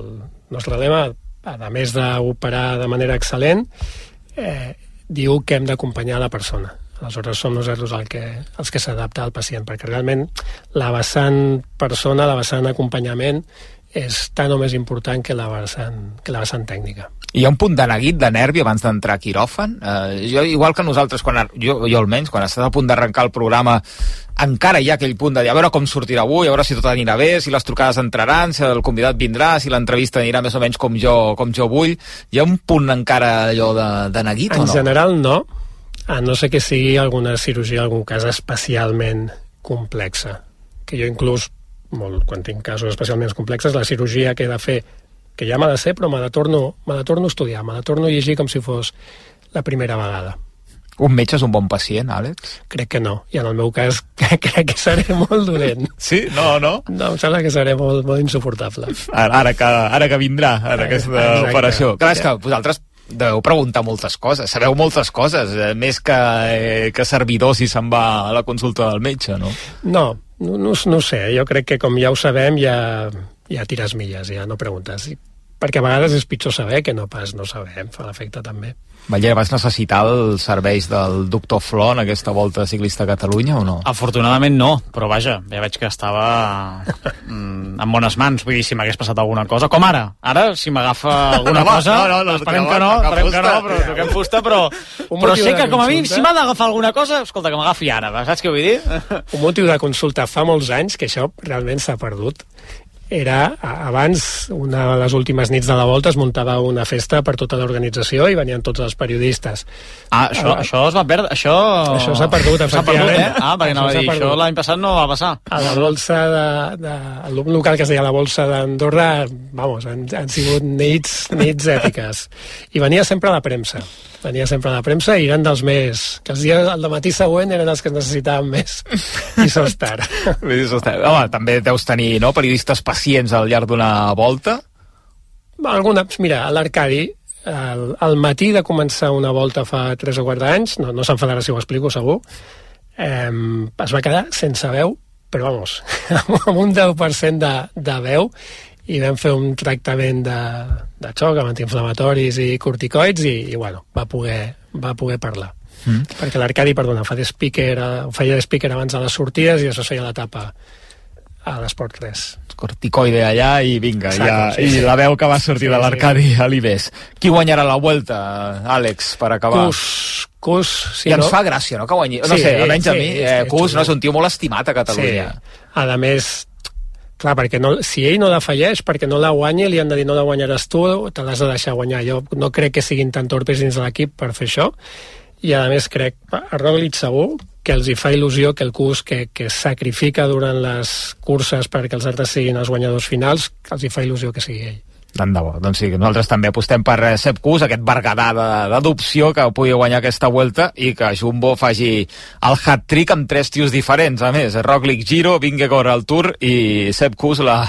nostre lema, a més d'operar de manera excel·lent, eh, diu que hem d'acompanyar la persona. Aleshores som nosaltres el que, els que s'adapta al pacient, perquè realment la vessant persona, la vessant acompanyament, és tan o més important que la vessant, que la vessant tècnica. Hi ha un punt de neguit, de nervi abans d'entrar a quiròfan? Eh, jo, igual que nosaltres, quan, jo, jo almenys, quan estàs a punt d'arrencar el programa, encara hi ha aquell punt de dir a veure com sortirà avui, a veure si tot anirà bé, si les trucades entraran, si el convidat vindrà, si l'entrevista anirà més o menys com jo, com jo vull. Hi ha un punt encara allò de, de neguit en o no? En general no, a no ser que sigui alguna cirurgia, algun cas especialment complexa, que jo inclús, molt, quan tinc casos especialment complexes, la cirurgia que he de fer, que ja m'ha de ser, però me la torno, me la torno a estudiar, me la torno a llegir com si fos la primera vegada. Un metge és un bon pacient, Àlex? Crec que no, i en el meu cas crec que seré molt dolent. Sí? No, no? No, em sembla que seré molt, molt insuportable. Ara, ara, que, ara que vindrà, ara aquesta Exacte. operació. Clar, és que vosaltres deveu preguntar moltes coses, sabeu moltes coses, eh, més que, eh, que servidor si se'n va a la consulta del metge, no? No, no, no, no sé, jo crec que com ja ho sabem ja, ja tires milles, ja no preguntes. Perquè a vegades és pitjor saber que no pas no saber, fa l'efecte també. Vaja, vas necessitar els serveis del doctor Flor en aquesta volta ciclista a Catalunya o no? Afortunadament no, però vaja, ja veig que estava mm, en bones mans, vull dir, si m'hagués passat alguna cosa, com ara, ara, si m'agafa alguna cosa, no, no, no, esperem que no, esperem que no, però toquem fusta, però, però sé que com a mi, si m'ha d'agafar alguna cosa, escolta, que m'agafi ara, saps què vull dir? Un motiu de consulta fa molts anys, que això realment s'ha perdut, era, abans, una de les últimes nits de la volta es muntava una festa per tota l'organització i venien tots els periodistes. Ah, això, ah, això es va perdre, això... Això s'ha perdut, s'ha perdut, eh? Ah, perquè anava a dir, això l'any passat no va passar. A la bolsa de... de el local que es deia la bolsa d'Andorra, vamos, han, han sigut nits, nits èpiques. I venia sempre la premsa. Venia sempre la premsa i eren dels més... que els dies del matí següent eren els que necessitaven més Isostar. Home, també deus tenir, no?, periodistes pacients al llarg d'una volta? Alguna, mira, a l'Arcadi, al, al matí de començar una volta fa tres o quatre anys, no, no s'enfadarà si ho explico segur, eh, es va quedar sense veu, però vamos, amb un deu per cent de, de veu, i vam fer un tractament de, de xoc amb antiinflamatoris i corticoids i, i bueno, va poder, va poder parlar. Mm. Perquè l'Arcadi, perdona, fa de speaker, feia de speaker abans de les sortides i això feia la tapa a l'Esport tres. Corticoide allà i vinga, Exacte, ja, sí, sí. i la veu que va sortir sí, de l'Arcadi sí. a l'Ibés. Qui guanyarà la Vuelta, Àlex, per acabar? Cus, Cus, sí, I ens no? fa gràcia, no?, que guanyi. No Sí, sé, almenys sí, a mi, eh, Cus no és un tio molt estimat a Catalunya. Sí. A més, clar, perquè no, si ell no la falleix, perquè no la guanya, li han de dir no la guanyaràs tu, te l'has de deixar guanyar. Jo no crec que siguin tan torpes dins de l'equip per fer això, i a més crec, a Roglic segur, que els hi fa il·lusió que el Cus, que, que sacrifica durant les curses perquè els altres siguin els guanyadors finals, que els hi fa il·lusió que sigui ell. Tant de bo. Doncs sí, nosaltres també apostem per Sepp Kuss, aquest berguedà d'adopció que pugui guanyar aquesta Vuelta i que Jumbo faci el hat-trick amb tres tios diferents, a més. Roglic Giro, Vingegaard al Tour i Sepp Kuss la,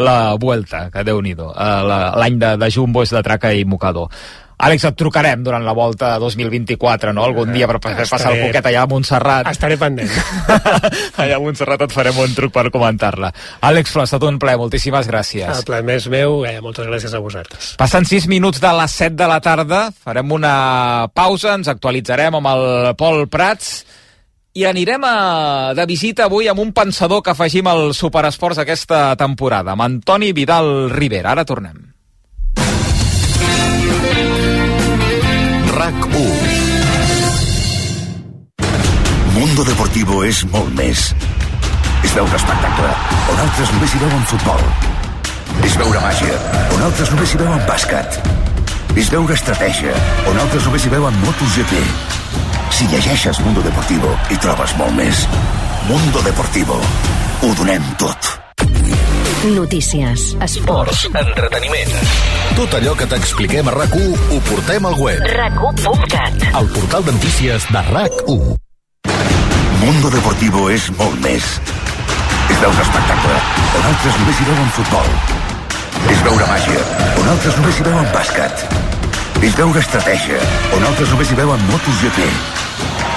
la Vuelta, que déu-n'hi-do. L'any de, de Jumbo és de traca i mocador. Àlex, et trucarem durant la Volta dos mil vint-i-quatre, no? Algun dia per fer passar el poquet allà a Montserrat. Estaré pendent. Allà a Montserrat et farem un truc per comentar-la. Àlex Flor, ha estat un plaer, moltíssimes gràcies. El plaer més meu, eh, moltes gràcies a vosaltres. Passen sis minuts de les set de la tarda, farem una pausa, ens actualitzarem amb el Pol Prats i anirem a, de visita avui amb un pensador que afegim al Superesports aquesta temporada, amb Antoni Vidal Rivera. Ara tornem. RAC u. Mundo Deportivo és molt més. És veure espectacle, on altres només hi veuen futbol. És veure màgia, on altres només hi veuen bàsquet. És veure estratègia, on altres només hi veuen MotoGP. Si llegeixes Mundo Deportivo, hi trobes molt més. Mundo Deportivo. Ho donem tot. Notícies, esports, entreteniment. Tot allò que t'expliquem a RAC u ho portem al web. rac u punt cat. El portal de notícies de RAC u. Mundo Deportivo és molt més. És veure espectacle, on altres només hi veuen futbol. És veure màgia, on altres només hi veuen bàsquet. És veure estratègia, on altres només hi veuen MotoGP.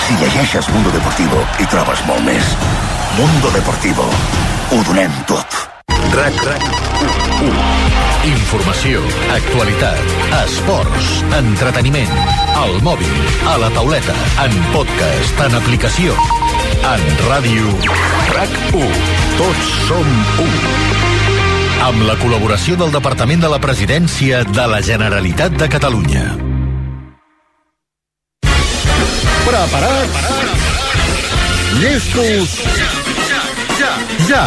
Si llegeixes Mundo Deportivo, hi trobes molt més. Mundo Deportivo. Ho donem tot. RAC, RAC u. Informació, actualitat, esports, entreteniment, al mòbil, a la tauleta, en podcast, en aplicació, en ràdio. RAC u. Tots som u. Amb la col·laboració del Departament de la Presidència de la Generalitat de Catalunya. Preparats? Llestos? Ja, ja!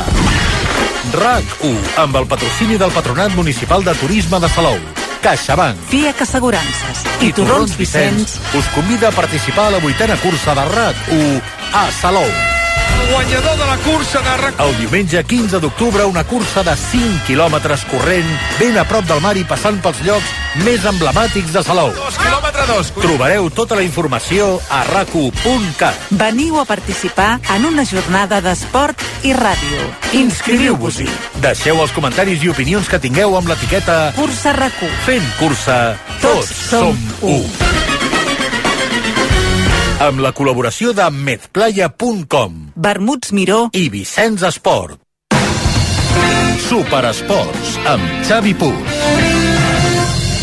RAC u, amb el patrocini del Patronat Municipal de Turisme de Salou, CaixaBank, FIAC Assegurances i Torrons Vicenç us convida a participar a la vuitena cursa de RAC u a Salou. Guanyador de la cursa de RAC u. El diumenge quinze d'octubre, una cursa de cinc quilòmetres corrent, ben a prop del mar i passant pels llocs més emblemàtics de Salou. Dos quilòmetre dos. Trobareu tota la informació a rac u punt cat. Veniu a participar en una jornada d'esport i ràdio. Inscriviu-vos-hi. Deixeu els comentaris i opinions que tingueu amb l'etiqueta Cursa RAC u. Fent cursa, tots som u. Amb la col·laboració de medplaya punt com, Vermuts Miró i Vicenç Esport. Superesports amb Xavi Puig.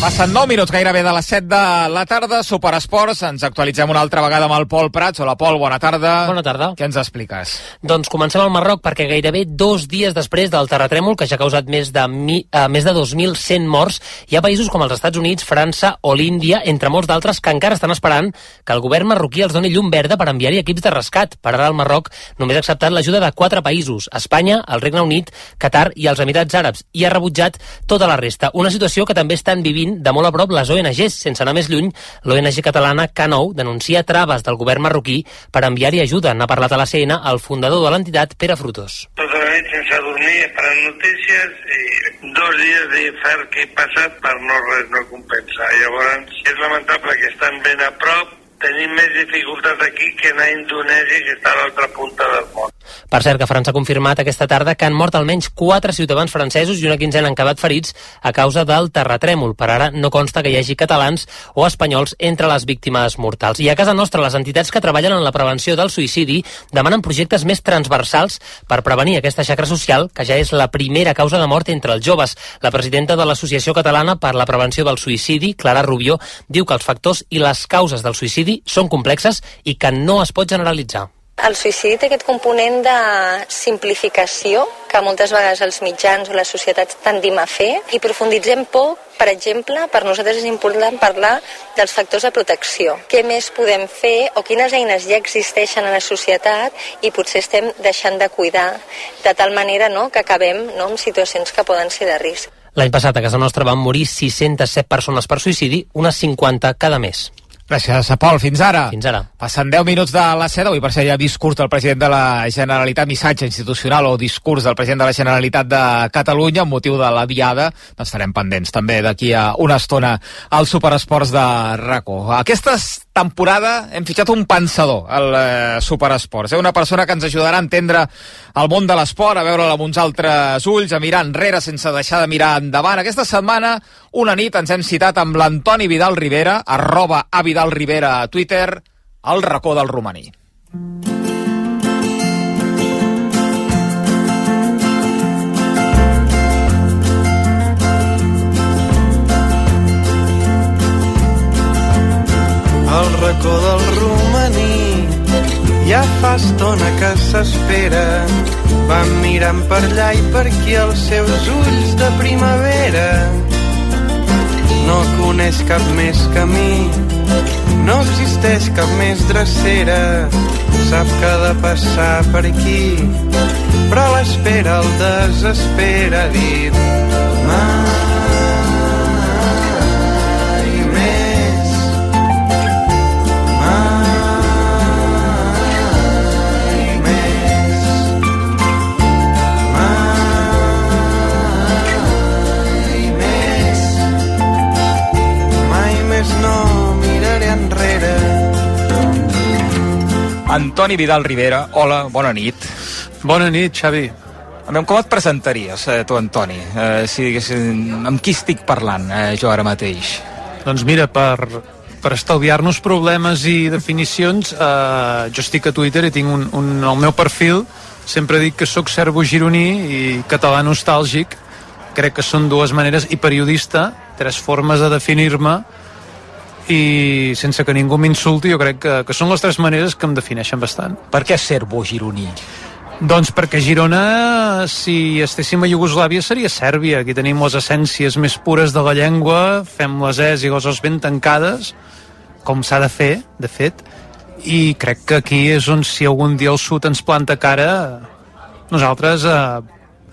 Passen nou minuts gairebé de les set de la tarda, Superesports, ens actualitzem una altra vegada amb el Pol Prats. Hola Pol, bona tarda. Bona tarda. Què ens expliques? Doncs comencem al Marroc perquè gairebé dos dies després del terratrèmol que ja ha causat més de, mi, uh, més de dos mil cent morts, hi ha països com els Estats Units, França o l'Índia, entre molts d'altres, que encara estan esperant que el govern marroquí els doni llum verda per enviar-hi equips de rescat. Per ara el Marroc només ha acceptat l'ajuda de quatre països, Espanya, el Regne Unit, Qatar i els Emirats Àrabs, i ha rebutjat tota la resta. Una situació que també estan vivint de molt a prop les O N Ges. Sense anar més lluny, l'O N G catalana K nou denuncia traves del govern marroquí per enviar-hi ajuda. N'ha parlat a la C N el fundador de l'entitat, Pere Frutos. Tota la nit sense dormir, esperant notícies, i dos dies d'infern que he passat per no res no compensar. Llavors, és lamentable que estan ben a prop. Tenim més dificultats aquí que anar a Indonèsia, que està a l'altra punta del món. Per cert, que França ha confirmat aquesta tarda que han mort almenys quatre ciutadans francesos i una quinzena han acabat ferits a causa del terratrèmol. Per ara no consta que hi hagi catalans o espanyols entre les víctimes mortals. I a casa nostra, les entitats que treballen en la prevenció del suïcidi demanen projectes més transversals per prevenir aquesta xacra social, que ja és la primera causa de mort entre els joves. La presidenta de l'Associació Catalana per la Prevenció del Suïcidi, Clara Rubió, diu que els factors i les causes del suïcidi són complexes i que no es pot generalitzar. El suïcidi té aquest component de simplificació que moltes vegades els mitjans o les societats tendim a fer i profunditzem poc. Per exemple, per nosaltres és important parlar dels factors de protecció. Què més podem fer o quines eines ja existeixen a la societat i potser estem deixant de cuidar de tal manera, no, que acabem, no, en situacions que poden ser de risc. L'any passat a casa nostra van morir sis-centes set persones per suïcidi, unes cinquanta cada mes. Gràcies, Pol. Fins ara. Fins ara. Passen deu minuts de la set. Avui, per ser ja discurs del president de la Generalitat, missatge institucional o discurs del president de la Generalitat de Catalunya amb motiu de la diada. Estarem pendents també d'aquí a una estona als Superesports de RAC1. Aquesta temporada hem fitxat un pensador al eh, Superesports. Eh? Una persona que ens ajudarà a entendre el món de l'esport, a veure-la amb uns altres ulls, a mirar enrere sense deixar de mirar endavant. Aquesta setmana, una nit, ens hem citat amb l'Antoni Vidal Rivera, arroba a Vidal Rivera a Twitter, al racó del romaní. Al racó del romaní ja fa estona que s'espera, van mirant per allà i per aquí els seus ulls de primavera. No coneix cap més camí, no existeix cap més drecera, sap que ha de passar per aquí, però l'espera el desespera, ha dit mai més, mai més, mai més, mai més no miraré enrere. Antoni Vidal Rivera, hola, bona nit. Bona nit, Xavi. Com et presentaries, eh, tu, Antoni? Eh, si diguéssim, amb qui estic parlant, eh, jo ara mateix? Doncs mira, per, per estalviar-nos problemes i definicions, eh, jo estic a Twitter i tinc un, un, el meu perfil, sempre dic que sóc serbo gironí i català nostàlgic, crec que són dues maneres, i periodista, tres formes de definir-me, i sense que ningú m'insulti, jo crec que, que són les tres maneres que em defineixen bastant. Per què serbo gironí? Doncs perquè Girona, si estéssim a Iugoslàvia, seria Sèrbia. Aquí tenim les essències més pures de la llengua, fem les es i les os ben tancades, com s'ha de fer, de fet, i crec que aquí és on, si algun dia el sud ens planta cara, nosaltres eh,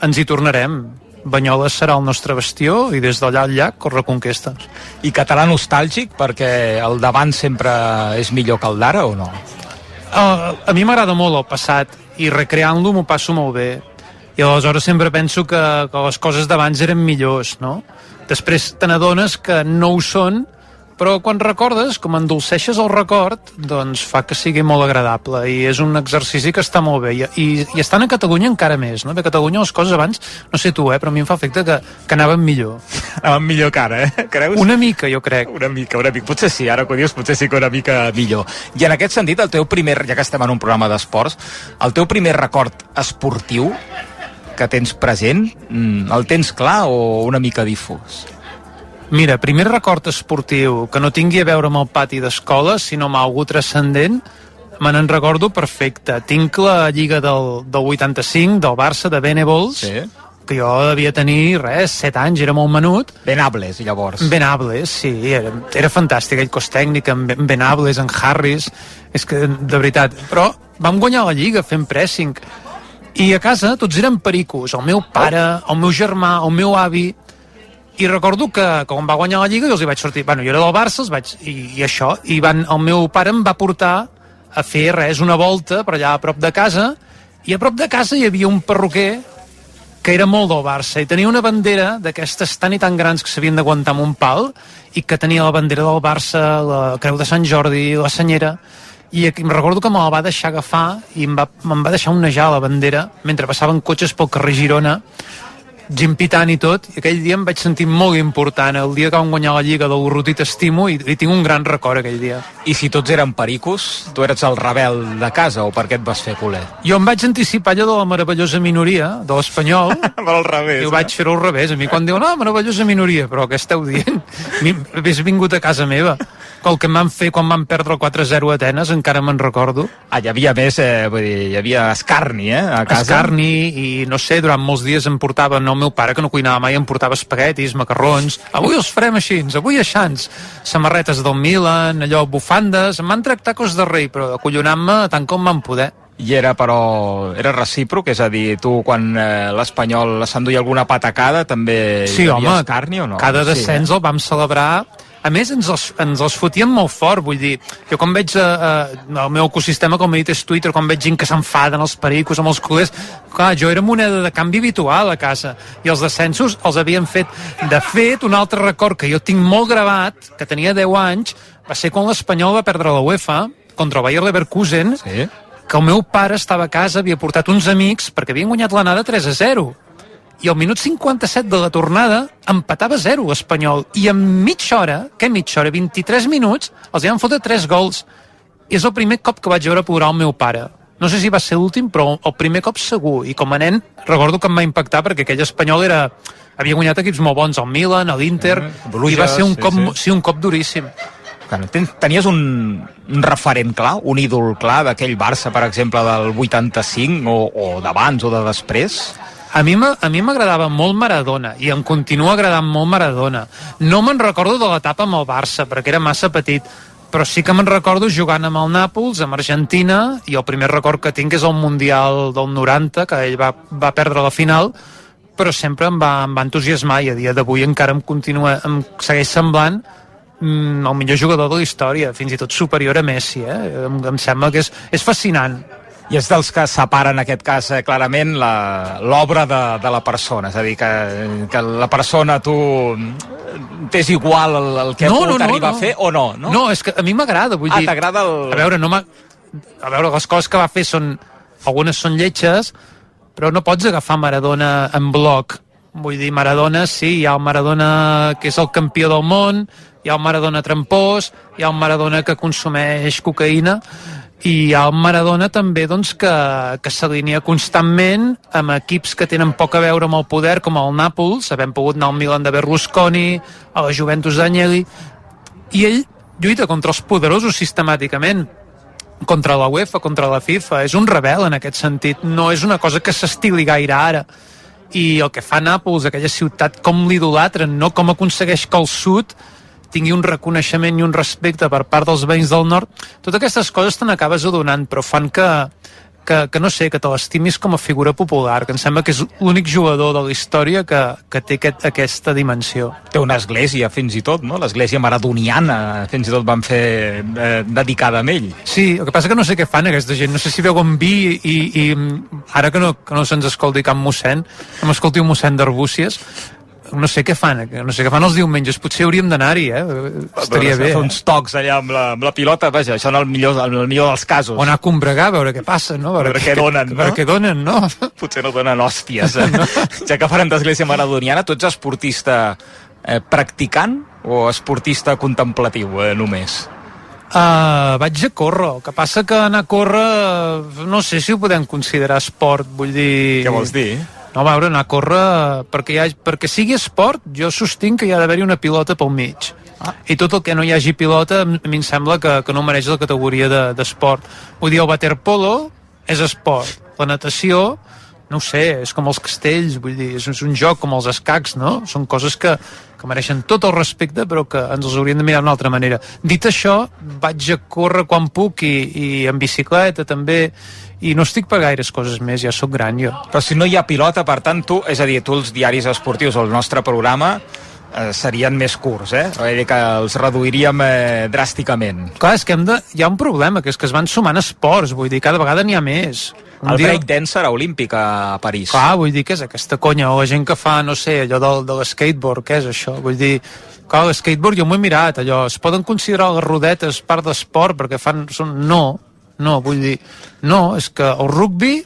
ens hi tornarem. Banyoles serà el nostre bastió i des d'allà al llac reconquestes. I català nostàlgic perquè el davant sempre és millor que el d'ara o no? Uh, a mi m'agrada molt el passat i recreant-lo m'ho passo molt bé i aleshores sempre penso que, que les coses d'abans eren millors, no? Després te n'adones que no ho són, però quan recordes, com endolceixes el record, doncs fa que sigui molt agradable i és un exercici que està molt bé i, i, i estant a Catalunya encara més, no? A Catalunya les coses abans, no sé tu, eh, però a mi em fa efecte que, que anaven millor. Anaven millor que ara, eh? Creus? Una mica, jo crec. Una mica, una mica. Potser sí, ara que ho dius, potser sí que una mica millor. I en aquest sentit, el teu primer, ja que estem en un programa d'esports, el teu primer record esportiu que tens present, el tens clar o una mica difús? Mira, primer record esportiu que no tingui a veure amb el pati d'escola, sinó amb algú transcendent, me n'en recordo perfecte. Tinc la lliga del, del vuitanta-cinc, del Barça, de Venables, sí, que jo devia tenir, res, set anys, era molt menut. Venables, llavors. Venables, sí, era, era fantàstic, aquell cos tècnic, amb Venables, en Harris, és que, de veritat, però vam guanyar la lliga fent pressing, i a casa tots eren pericos, el meu pare, el meu germà, el meu avi, i recordo que quan va guanyar la lliga jo els hi vaig sortir, bueno, jo era del Barça els vaig, i, i això, i van, el meu pare em va portar a fer res, una volta per allà a prop de casa, i a prop de casa hi havia un perruquer que era molt del Barça, i tenia una bandera d'aquestes tan i tan grans que s'havien d'aguantar amb un pal, i que tenia la bandera del Barça, la Creu de Sant Jordi, la senyera, i em recordo que me la va deixar agafar i em va, em va deixar onejar la bandera mentre passaven cotxes pel carrer Girona, gent pitant i tot, i aquell dia em vaig sentir molt important, el dia que vam guanyar la Lliga del Urruti t'estimo, i, i tinc un gran record aquell dia. I si tots eren pericos, tu eres el rebel de casa, o per què et vas fer culer? Jo em vaig anticipar allò de la meravellosa minoria, de l'Espanyol, però al revés, i ho vaig fer-ho al revés. A mi quan diuen, no, meravellosa minoria, però què esteu dient? Hauria vingut a casa meva. El que em van fer quan van perdre el quatre a zero a Atenes, encara me'n recordo. Ah, hi havia més, eh, vull dir, hi havia escarni, eh, a casa. Escarni, i no sé, durant molts dies em portava, no, el meu pare, que no cuinava mai, em portava espaguetis, macarrons, avui els farem així, avui aixans, samarretes del Milan, allò, bufandes, em van tractar cos de rei, però acollonant-me tant com van poder. I era, però, era recíproc, és a dir, tu quan eh, l'Espanyol s'enduia alguna patacada també sí, hi havia home, escarni o no? Cada descens sí, eh? el vam celebrar. A més, ens els, ens els fotíem molt fort, vull dir, jo quan veig eh, el meu ecosistema, com he dit, és Twitter, quan veig gent que s'enfaden els pericos amb els culers, clar, jo era moneda de canvi habitual a casa, i els descensos els havien fet. De fet, un altre record que jo tinc molt gravat, que tenia deu anys, va ser quan l'Espanyol va perdre la UEFA contra el Bayer Leverkusen, sí, que el meu pare estava a casa, havia portat uns amics, perquè havien guanyat l'anada tres a zero. I al minut cinquanta-set de la tornada empatava zero l'Espanyol, i en mitja hora, què mitja hora, vint-i-tres minuts, els hi van fotre tres gols. I és el primer cop que vaig veure plorar el meu pare. No sé si va ser l'últim, però el primer cop segur, i com a nen recordo que em va impactar perquè aquell Espanyol era... havia guanyat equips molt bons, el Milan, l'Inter, mm, i va ser un, sí, cop, sí. Sí, un cop duríssim. Tenies un, un referent clar, un ídol clar d'aquell Barça, per exemple, del vuitanta-cinc, o, o d'abans o de després? A mi m'agradava molt Maradona, i em continua agradant molt Maradona. No me'n recordo de l'etapa amb el Barça, perquè era massa petit, però sí que me'n recordo jugant amb el Nàpols, amb Argentina, i el primer record que tinc és el Mundial del noranta, que ell va, va perdre la final, però sempre em va, em va entusiasmar, i a dia d'avui encara em continua, em segueix semblant mm, el millor jugador de la història, fins i tot superior a Messi, eh? Em, em sembla que és, és fascinant. I és dels que separen, en aquest cas, eh, clarament l'obra de, de la persona. És a dir, que, que la persona tu t'és igual el, el que no, pot no, arribar no. a fer o no, no? No, és que a mi m'agrada, vull ah, dir... Ah, t'agrada el... A veure, no m'ha... A veure, les coses que va fer són... Algunes són lletges, però no pots agafar Maradona en bloc. Vull dir, Maradona, sí, hi ha el Maradona que és el campió del món, hi ha el Maradona trampós, hi ha el Maradona que consumeix cocaïna, i hi ha el Maradona també doncs, que, que s'alinea constantment amb equips que tenen poc a veure amb el poder, com el Nàpols, havent pogut anar al Milan de Berlusconi, a la Juventus d'Agnelli, i ell lluita contra els poderosos sistemàticament, contra la UEFA, contra la FIFA. És un rebel en aquest sentit, no és una cosa que s'estili gaire ara. I el que fa Nàpols, aquella ciutat, com l'idolatren, no? Com aconsegueix que el sud tingui un reconeixement i un respecte per part dels veïns del nord. Totes aquestes coses te n'acabes adonant, però fan que, que, que no sé, que te l'estimis com a figura popular, que em sembla que és l'únic jugador de la història que, que té aquest, aquesta dimensió. Té una església, fins i tot, no? L'església maradoniana, fins i tot van fer eh, dedicada a ell. Sí, el que passa que no sé què fan aquesta gent, no sé si veuen vi i, i ara que no, que no se'ns escolti cap mossèn, que m'escolti un mossèn d'Arbúcies, no sé què fan, no sé què fan els diumenges, potser hauríem d'anar-hi, eh? Estaria bé. Fer uns tocs allà amb la, amb la pilota, vaja, això en el millor, en el millor dels casos. O anar a combregar, a veure què passa, no? A veure, a veure què donen, no? A veure què donen, no? Potser no donen hòsties, eh? No? Ja que farem d'església maradoniana, tu ets esportista eh, practicant o esportista contemplatiu, eh, només? Uh, vaig a córrer, el que passa que anar a córrer no sé si ho podem considerar esport, vull dir... Què vols dir? No, a veure, anar a córrer, perquè, ha, perquè sigui esport, jo sostinc que hi ha d'haver-hi una pilota pel mig. Ah. I tot el que no hi hagi pilota, a mi em sembla que, que no mereix la categoria d'esport. De, Vull dir, el waterpolo és esport. La natació, no ho sé, és com els castells, vull dir, és un joc com els escacs, no? Són coses que, que mereixen tot el respecte, però que ens els hauríem de mirar d'una altra manera. Dit això, vaig a córrer quan puc i, i en bicicleta també, i no estic per gaires coses més, ja sóc gran jo. Però si no hi ha pilota, per tant, tu, és a dir, tu els diaris esportius o el nostre programa, eh, serien més curts, eh? Vull dir que els reduiríem eh, dràsticament. Clar, és que hem de... hi ha un problema, que és que es van sumant esports, vull dir, cada vegada n'hi ha més. Un el dia... breakdance serà olímpic a París. Clar, vull dir, què és aquesta conya? O la gent que fa, no sé, allò del, de l'skateboard, què és això? Vull dir, clar, l'skateboard jo m'ho he mirat, allò, es poden considerar les rodetes part d'esport perquè fan... Són... No, no, vull dir, no, és que el rugby...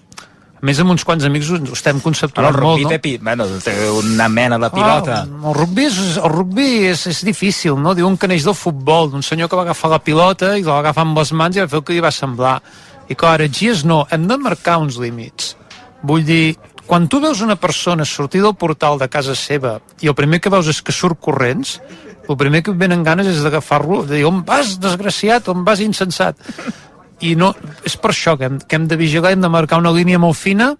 A més, amb uns quants amics ho estem conceptuant molt, molt, no? El rugby té, bueno, té una mena de pilota. Ah, el rugby, és, el rugby és, és difícil, no? Diuen que neix del futbol, d'un senyor que va agafar la pilota i la va agafar amb les mans i va fer el que li va semblar. I clar, ara, gies no, hem de marcar uns límits. Vull dir, quan tu veus una persona sortir del portal de casa seva i el primer que veus és que surt corrents, el primer que et venen ganes és d'agafar-lo, de dir, on vas, desgraciat, on vas, insensat? I no, és per això que hem, que hem de vigilar, hem de marcar una línia molt fina.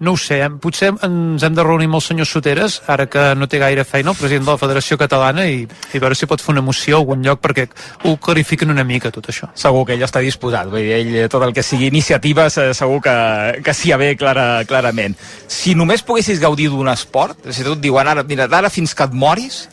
No ho sé, potser ens hem de reunir amb el senyor Soteres, ara que no té gaire feina, el president de la Federació Catalana, i, i veure si pot fer una moció a algun lloc perquè ho clarifiquen una mica, tot això. Segur que ell està disposat, vull dir, ell, tot el que sigui iniciatives, segur que, que s'hi ha bé clara, clarament. Si només poguessis gaudir d'un esport, si tu et diuen ara, mira, d'ara fins que et moris,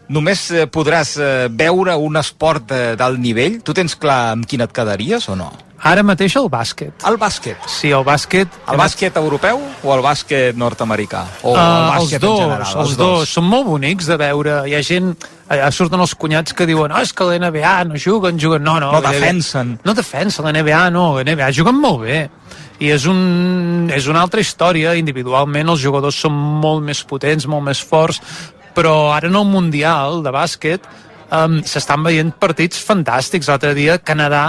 només eh, podràs eh, veure un esport eh, d'alt nivell, tu tens clar amb quin et quedaries o no? Ara mateix el bàsquet. El bàsquet? Sí, el bàsquet... El bàsquet europeu o el bàsquet nord-americà? O uh, el bàsquet els dos, en general? Els, els dos. dos. Són molt bonics de veure. Hi ha gent... Allà surten els cunyats que diuen oh, és que la N B A no juguen, juguen... No, no, no defensen. No defensen, la N B A no. La N B A juguen molt bé. I és, un, és una altra història. Individualment els jugadors són molt més potents, molt més forts, però ara en el Mundial de bàsquet um, s'estan veient partits fantàstics. L'altre dia Canadà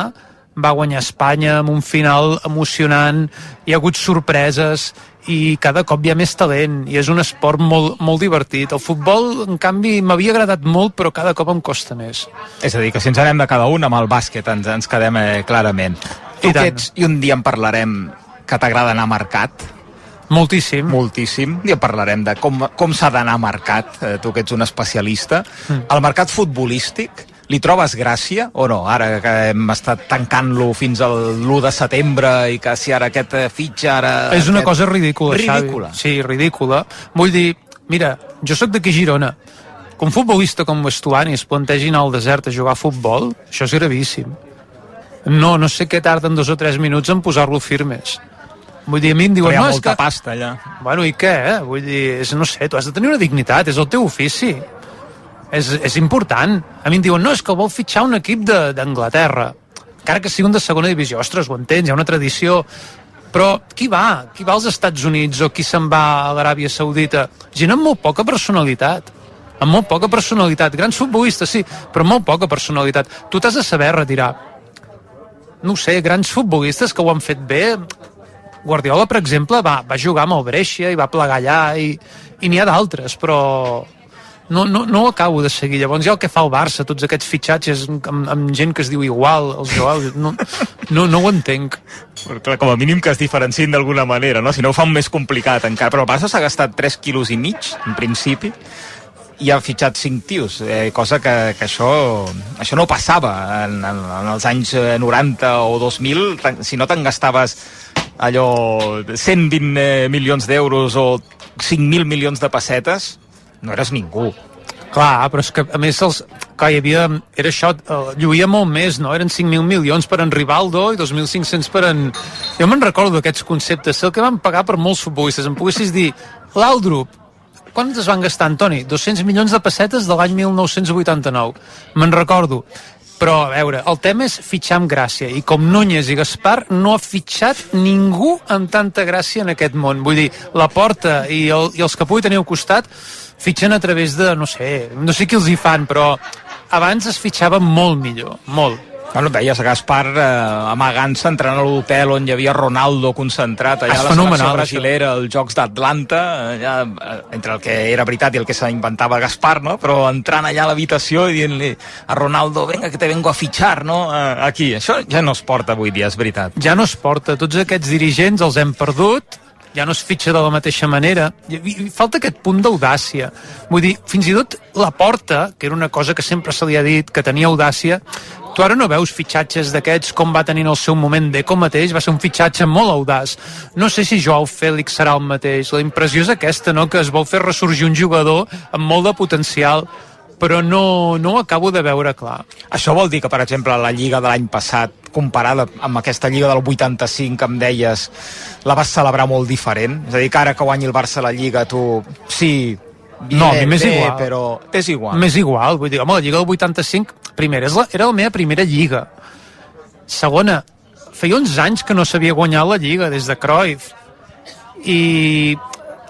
va guanyar Espanya amb un final emocionant, hi ha hagut sorpreses i cada cop hi ha més talent i és un esport molt, molt divertit. El futbol, en canvi, m'havia agradat molt, però cada cop em costa més. És a dir, que si ens anem de cada un amb el bàsquet ens, ens quedem eh, clarament. Tu que ets, i un dia en parlarem, que t'agrada anar marcat. Moltíssim. Moltíssim. I parlarem de com, com s'ha d'anar marcat, eh, tu que ets un especialista. Mm. El mercat futbolístic, li trobes gràcia o no? Ara que hem estat tancant-lo fins al l'u de setembre i que si ara aquest fitxa... Ara és una aquest... cosa ridícula, ridícula. Xavi. Sí, ridícula. Vull dir, mira, jo sóc d'aquí Girona. Com futbolista com Estuani es plantegin al desert a jugar a futbol, això és gravíssim. No, no sé què tarden dos o tres minuts en posar-lo firmes. Vull dir, a mi em diuen... Però hi ha no, molta és que... pasta allà. Bueno, i què, eh? Vull dir, és, no sé, tu has de tenir una dignitat, és el teu ofici. És, és important. A mi em diuen, no, és que vol fitxar un equip d'Anglaterra. Encara que sigui un de segona divisió. Ostres, ho entens, hi ha una tradició. Però qui va? Qui va als Estats Units o qui se'n va a l'Aràbia Saudita? Gent amb molt poca personalitat. Amb molt poca personalitat. Grans futbolistes, sí, però amb molt poca personalitat. Tu t'has de saber retirar. No ho sé, grans futbolistes que ho han fet bé... Guardiola, per exemple, va, va jugar amb el Brescia i va plegar allà i, i n'hi ha d'altres, però no, no, no ho acabo de seguir. Llavors hi ha el que fa el Barça, tots aquests fitxatges amb, amb gent que es diu igual, els jugadors, no, no, no ho entenc. Però, clar, com a mínim que es diferenciïn d'alguna manera, no? Si no ho fa més complicat encara. Però el Barça s'ha gastat tres quilos i mig, en principi, i ha fitxat cinc tios, eh, cosa que, que això, això no passava en, en, en els anys noranta o dos mil, si no te'n gastaves allò cent vint milions d'euros o cinc mil milions de pessetes, no eres ningú. Clar, però és que a més els, clar, hi havia, era això, lluïa molt més, no? Eren cinc mil milions per en Rivaldo i dos mil cinc-cents per en... Jo me'n recordo d'aquests conceptes, sé el que van pagar per molts futbolistes, em poguessis dir l'Aldrup, quan es van gastar, Antoni? dos-cents milions de pessetes de l'any mil nou-cents vuitanta-nou. Me'n recordo. Però, a veure, el tema és fitxar amb gràcia. I com Núñez i Gaspar no ha fitxat ningú amb tanta gràcia en aquest món. Vull dir, la Porta i, el, i els que pugui tenir al costat fitxen a través de, no sé, no sé qui els hi fan, però abans es fitxava molt millor, molt. Bueno, veies Gaspar eh, amagant-se, entrant a l'hotel on hi havia Ronaldo concentrat, allà a la selecció brasilera, als Jocs d'Atlanta, allà, entre el que era veritat i el que s'inventava Gaspar, no? Però entrant allà a l'habitació i dient-li a Ronaldo, venga, que te vengo a fitxar, no? Aquí, això ja no es porta avui dia, és veritat. Ja no es porta, tots aquests dirigents els hem perdut, ja no es fitxa de la mateixa manera. I, i falta aquest punt d'audàcia. Vull dir, fins i tot la Porta, que era una cosa que sempre se li ha dit, que tenia audàcia, tu ara no veus fitxatges d'aquests com va tenir en el seu moment Deco mateix, va ser un fitxatge molt audaç. No sé si Joao Fèlix serà el mateix. La impressió és aquesta, no?, que es vol fer ressorgir un jugador amb molt de potencial, però no, no ho acabo de veure clar. Això vol dir que, per exemple, la Lliga de l'any passat, comparada amb aquesta Lliga del vuitanta-cinc que em deies, la vas celebrar molt diferent? És a dir, que ara que guanyi el Barça la Lliga, tu... Sí, bien, no, a mi m'és bé, igual. Però és igual. M'és igual, vull dir, home, la Lliga del vuitanta-cinc, primera, és la, era la meva primera Lliga. Segona, feia uns anys que no s'havia guanyat la Lliga, des de Cruyff. I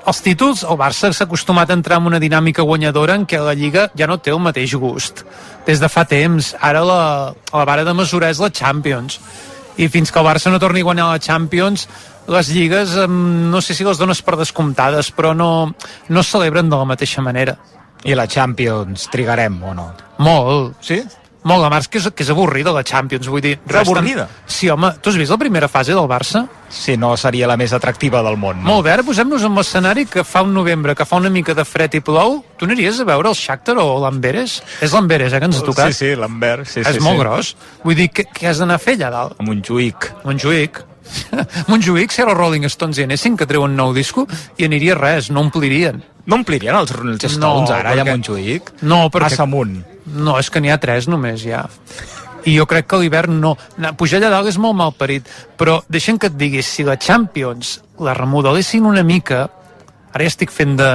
els títols, el Barça s'ha acostumat a entrar en una dinàmica guanyadora en què la Lliga ja no té el mateix gust. Des de fa temps, ara la, la vara de mesurar és la Champions. I fins que el Barça no torni a guanyar la Champions, les lligues, no sé si les dones per descomptades, però no, no es celebren de la mateixa manera. I la Champions trigarem o no? Molt. Sí? Molt, a més que és, que és avorrida la Champions, vull dir... És avorrida? Sí, home, tu has vist la primera fase del Barça? Sí, no seria la més atractiva del món. No? Molt bé, ara posem-nos en l'escenari que fa un novembre, que fa una mica de fred i plou. Tu aniries a veure el Shakhtar o l'Amberes? És l'Amberes, eh, que ens ha tocat. Sí, sí, l'Amber, sí, sí. És molt sí. gros. Vull dir, què, què has d'anar a fer allà dalt? A Montjuïc. Montjuïc. Montjuïc, si ara els Rolling Stones hi anessin, que treuen nou disco, i aniria res, no omplirien. No omplirien els, els Stones no, ara, perquè... ja a Montjuïc? No, perquè... Massa amunt. No, és que n'hi ha tres només, ja. I jo crec que a l'hivern no. Pujar allà dalt és molt mal parit, però deixa'm que et digui, si la Champions la remodelessin una mica, ara ja estic fent de,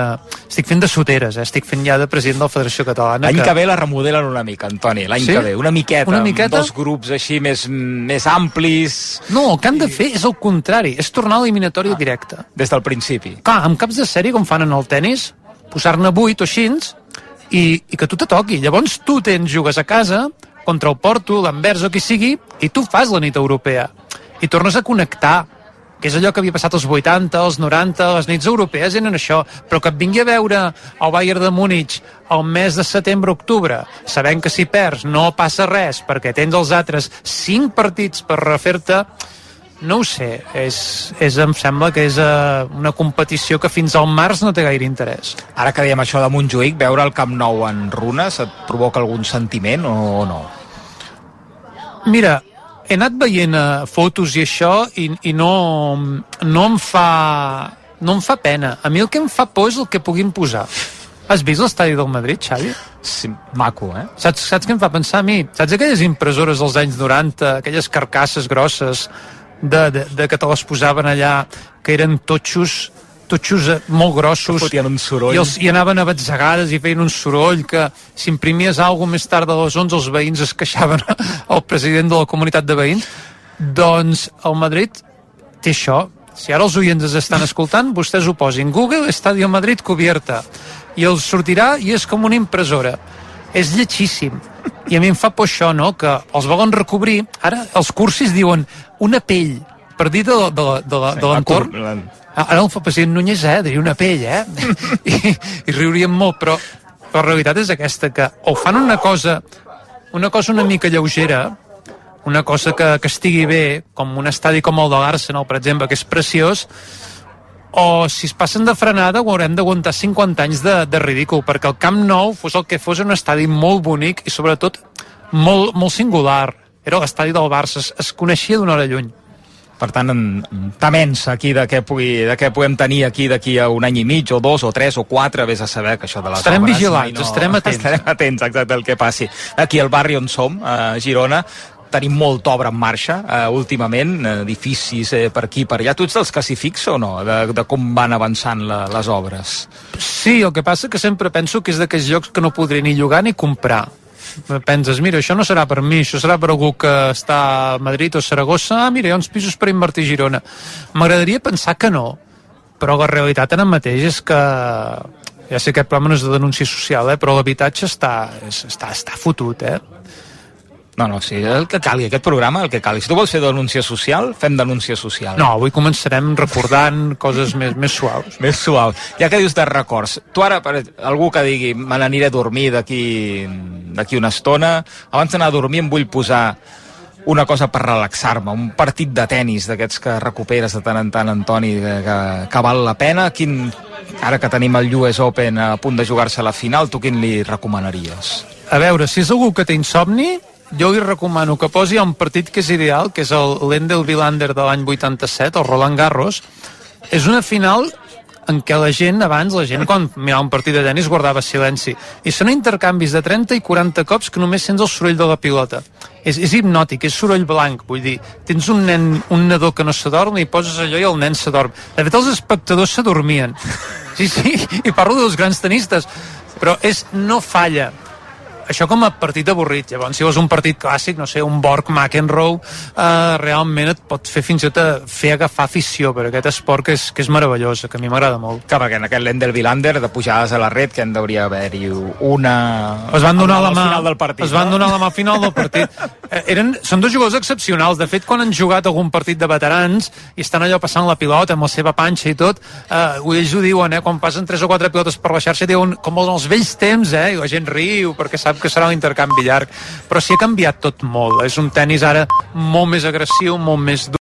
estic fent de soteres, eh? Estic fent ja de president de la Federació Catalana. L'any que... que ve la remodelen una mica, Antoni, l'any sí? que ve, una miqueta, una miqueta, amb dos grups així més, més amplis... No, el que han de fer és el contrari, és tornar a l'eliminatòria ah, directa. Des del principi. Clar, amb caps de sèrie, com fan en el tennis, posar-ne vuit o així, i, i que tu te toqui. Llavors tu tens, jugues a casa, contra el Porto, l'Anvers o qui sigui, i tu fas la nit europea. I tornes a connectar, que és allò que havia passat als vuitanta, als noranta, les nits europees eren això, però que et vingui a veure el Bayern de Múnich al mes de setembre-octubre, sabent que si perds no passa res, perquè tens els altres cinc partits per refer-te, no ho sé, és, és, em sembla que és uh, una competició que fins al març no té gaire interès. Ara que dèiem això de Montjuïc, veure el Camp Nou en runes et provoca algun sentiment o no? Mira, he anat veient uh, fotos i això i, i no, no, em fa, no em fa pena. A mi el que em fa por és el que puguin posar. Has vist l'estadi del Madrid, Xavi? Sí, maco, eh? Saps, saps què em fa pensar a mi? Saps aquelles impressores dels anys noranta, aquelles carcasses grosses de, de, de que te les posaven allà, que eren totxos, totxos molt grossos, que fotien un soroll, i, els, i anaven a batzegades i feien un soroll que si imprimies alguna més tard de les onze els veïns es queixaven al president de la comunitat de veïns. Doncs el Madrid té això. Si ara els oients es estan escoltant, vostès ho posin Google Estadio Madrid cubierta i els sortirà i és com una impressora. És lletjíssim. I a mi em fa por això, no?, que els volen recobrir. Ara els cursis diuen una pell per dir de, de, de, de, de l'entorn. Ara el president Núñez, eh, diria una pell, eh? I, i riurien molt, però la realitat és aquesta, que o fan una cosa una cosa una mica lleugera, una cosa que, que estigui bé, com un estadi com el de l'Arsenal, per exemple, que és preciós, o si es passen de frenada ho haurem d'aguantar cinquanta anys de, de ridícul, perquè el Camp Nou, fos el que fos, un estadi molt bonic i sobretot molt, molt singular. Era l'estadi del Barça, es, es coneixia d'una hora lluny. Per tant, tements aquí de què, pugui, de què podem tenir aquí d'aquí a un any i mig, o dos, o tres, o quatre, vés a saber que això de les estarem obres... vigilants, no... estarem atents. Estarem atents, exacte, el que passi. Aquí al barri on som, a Girona, tenim molta obra en marxa, eh, últimament, edificis eh, per aquí, per allà. Tu ets dels que s'hi fixa o no, de, de com van avançant la, les obres? Sí, el que passa que sempre penso que és d'aquells llocs que no podré ni llogar ni comprar. Penses, mira, això no serà per mi, això serà per algú que està a Madrid o Saragossa, ah, mira, hi ha uns pisos per invertir a Girona. M'agradaria pensar que no, però la realitat ara mateix és que, ja sé que aquest programa no és de denúncia social, eh, però l'habitatge està, està, està fotut, eh? No, no, sí, el que calgui, aquest programa, el que calgui. Si tu vols fer denúncia social, fem denúncia social. No, avui començarem recordant coses més, més suaus. Més suaus. Ja que dius de records, tu ara, per algú que digui, me n'aniré a dormir d'aquí d'aquí una estona, abans d'anar a dormir em vull posar una cosa per relaxar-me, un partit de tennis d'aquests que recuperes de tant en tant, Antoni, que, que, que val la pena. Quin, ara que tenim el U S Open a punt de jugar-se a la final, tu quin li recomanaries? A veure, si és algú que té insomni, jo li recomano que posi un partit que és ideal, que és el Lendl Vilander de l'any vuitanta-set, el Roland Garros. És una final en què la gent, abans, la gent quan mirava un partit de tenis guardava silenci. I són intercanvis de trenta i quaranta cops que només sents el soroll de la pilota. És, és hipnòtic, és soroll blanc, vull dir, tens un nen, un nadó que no s'adorm i poses allò i el nen s'adorm. De fet, els espectadors s'adormien. Sí, sí, i parlo dels grans tenistes, però és, no falla. Això com a partit avorrit. Llavors, si vols un partit clàssic, no sé, un Borg-McEnroe, eh, realment et pot fer fins i tot fer agafar afició per aquest esport que és, que és meravellós, que a mi m'agrada molt. Clar, perquè en aquest Lendl Vilander, de pujades a la red, que en hauria d'haver-hi una... Es van donar la mà, al final del partit, es van no? donar la mà al final del partit. Eh, eren, són dos jugadors excepcionals. De fet, quan han jugat algun partit de veterans i estan allò passant la pilota amb la seva panxa i tot, eh, ells ho diuen, eh, quan passen tres o quatre pilotes per la xarxa, diuen com en els vells temps, eh, i la gent riu perquè sap que serà un intercanvi llarg, però s'hi ha canviat tot molt. És un tenis ara molt més agressiu, molt més dur.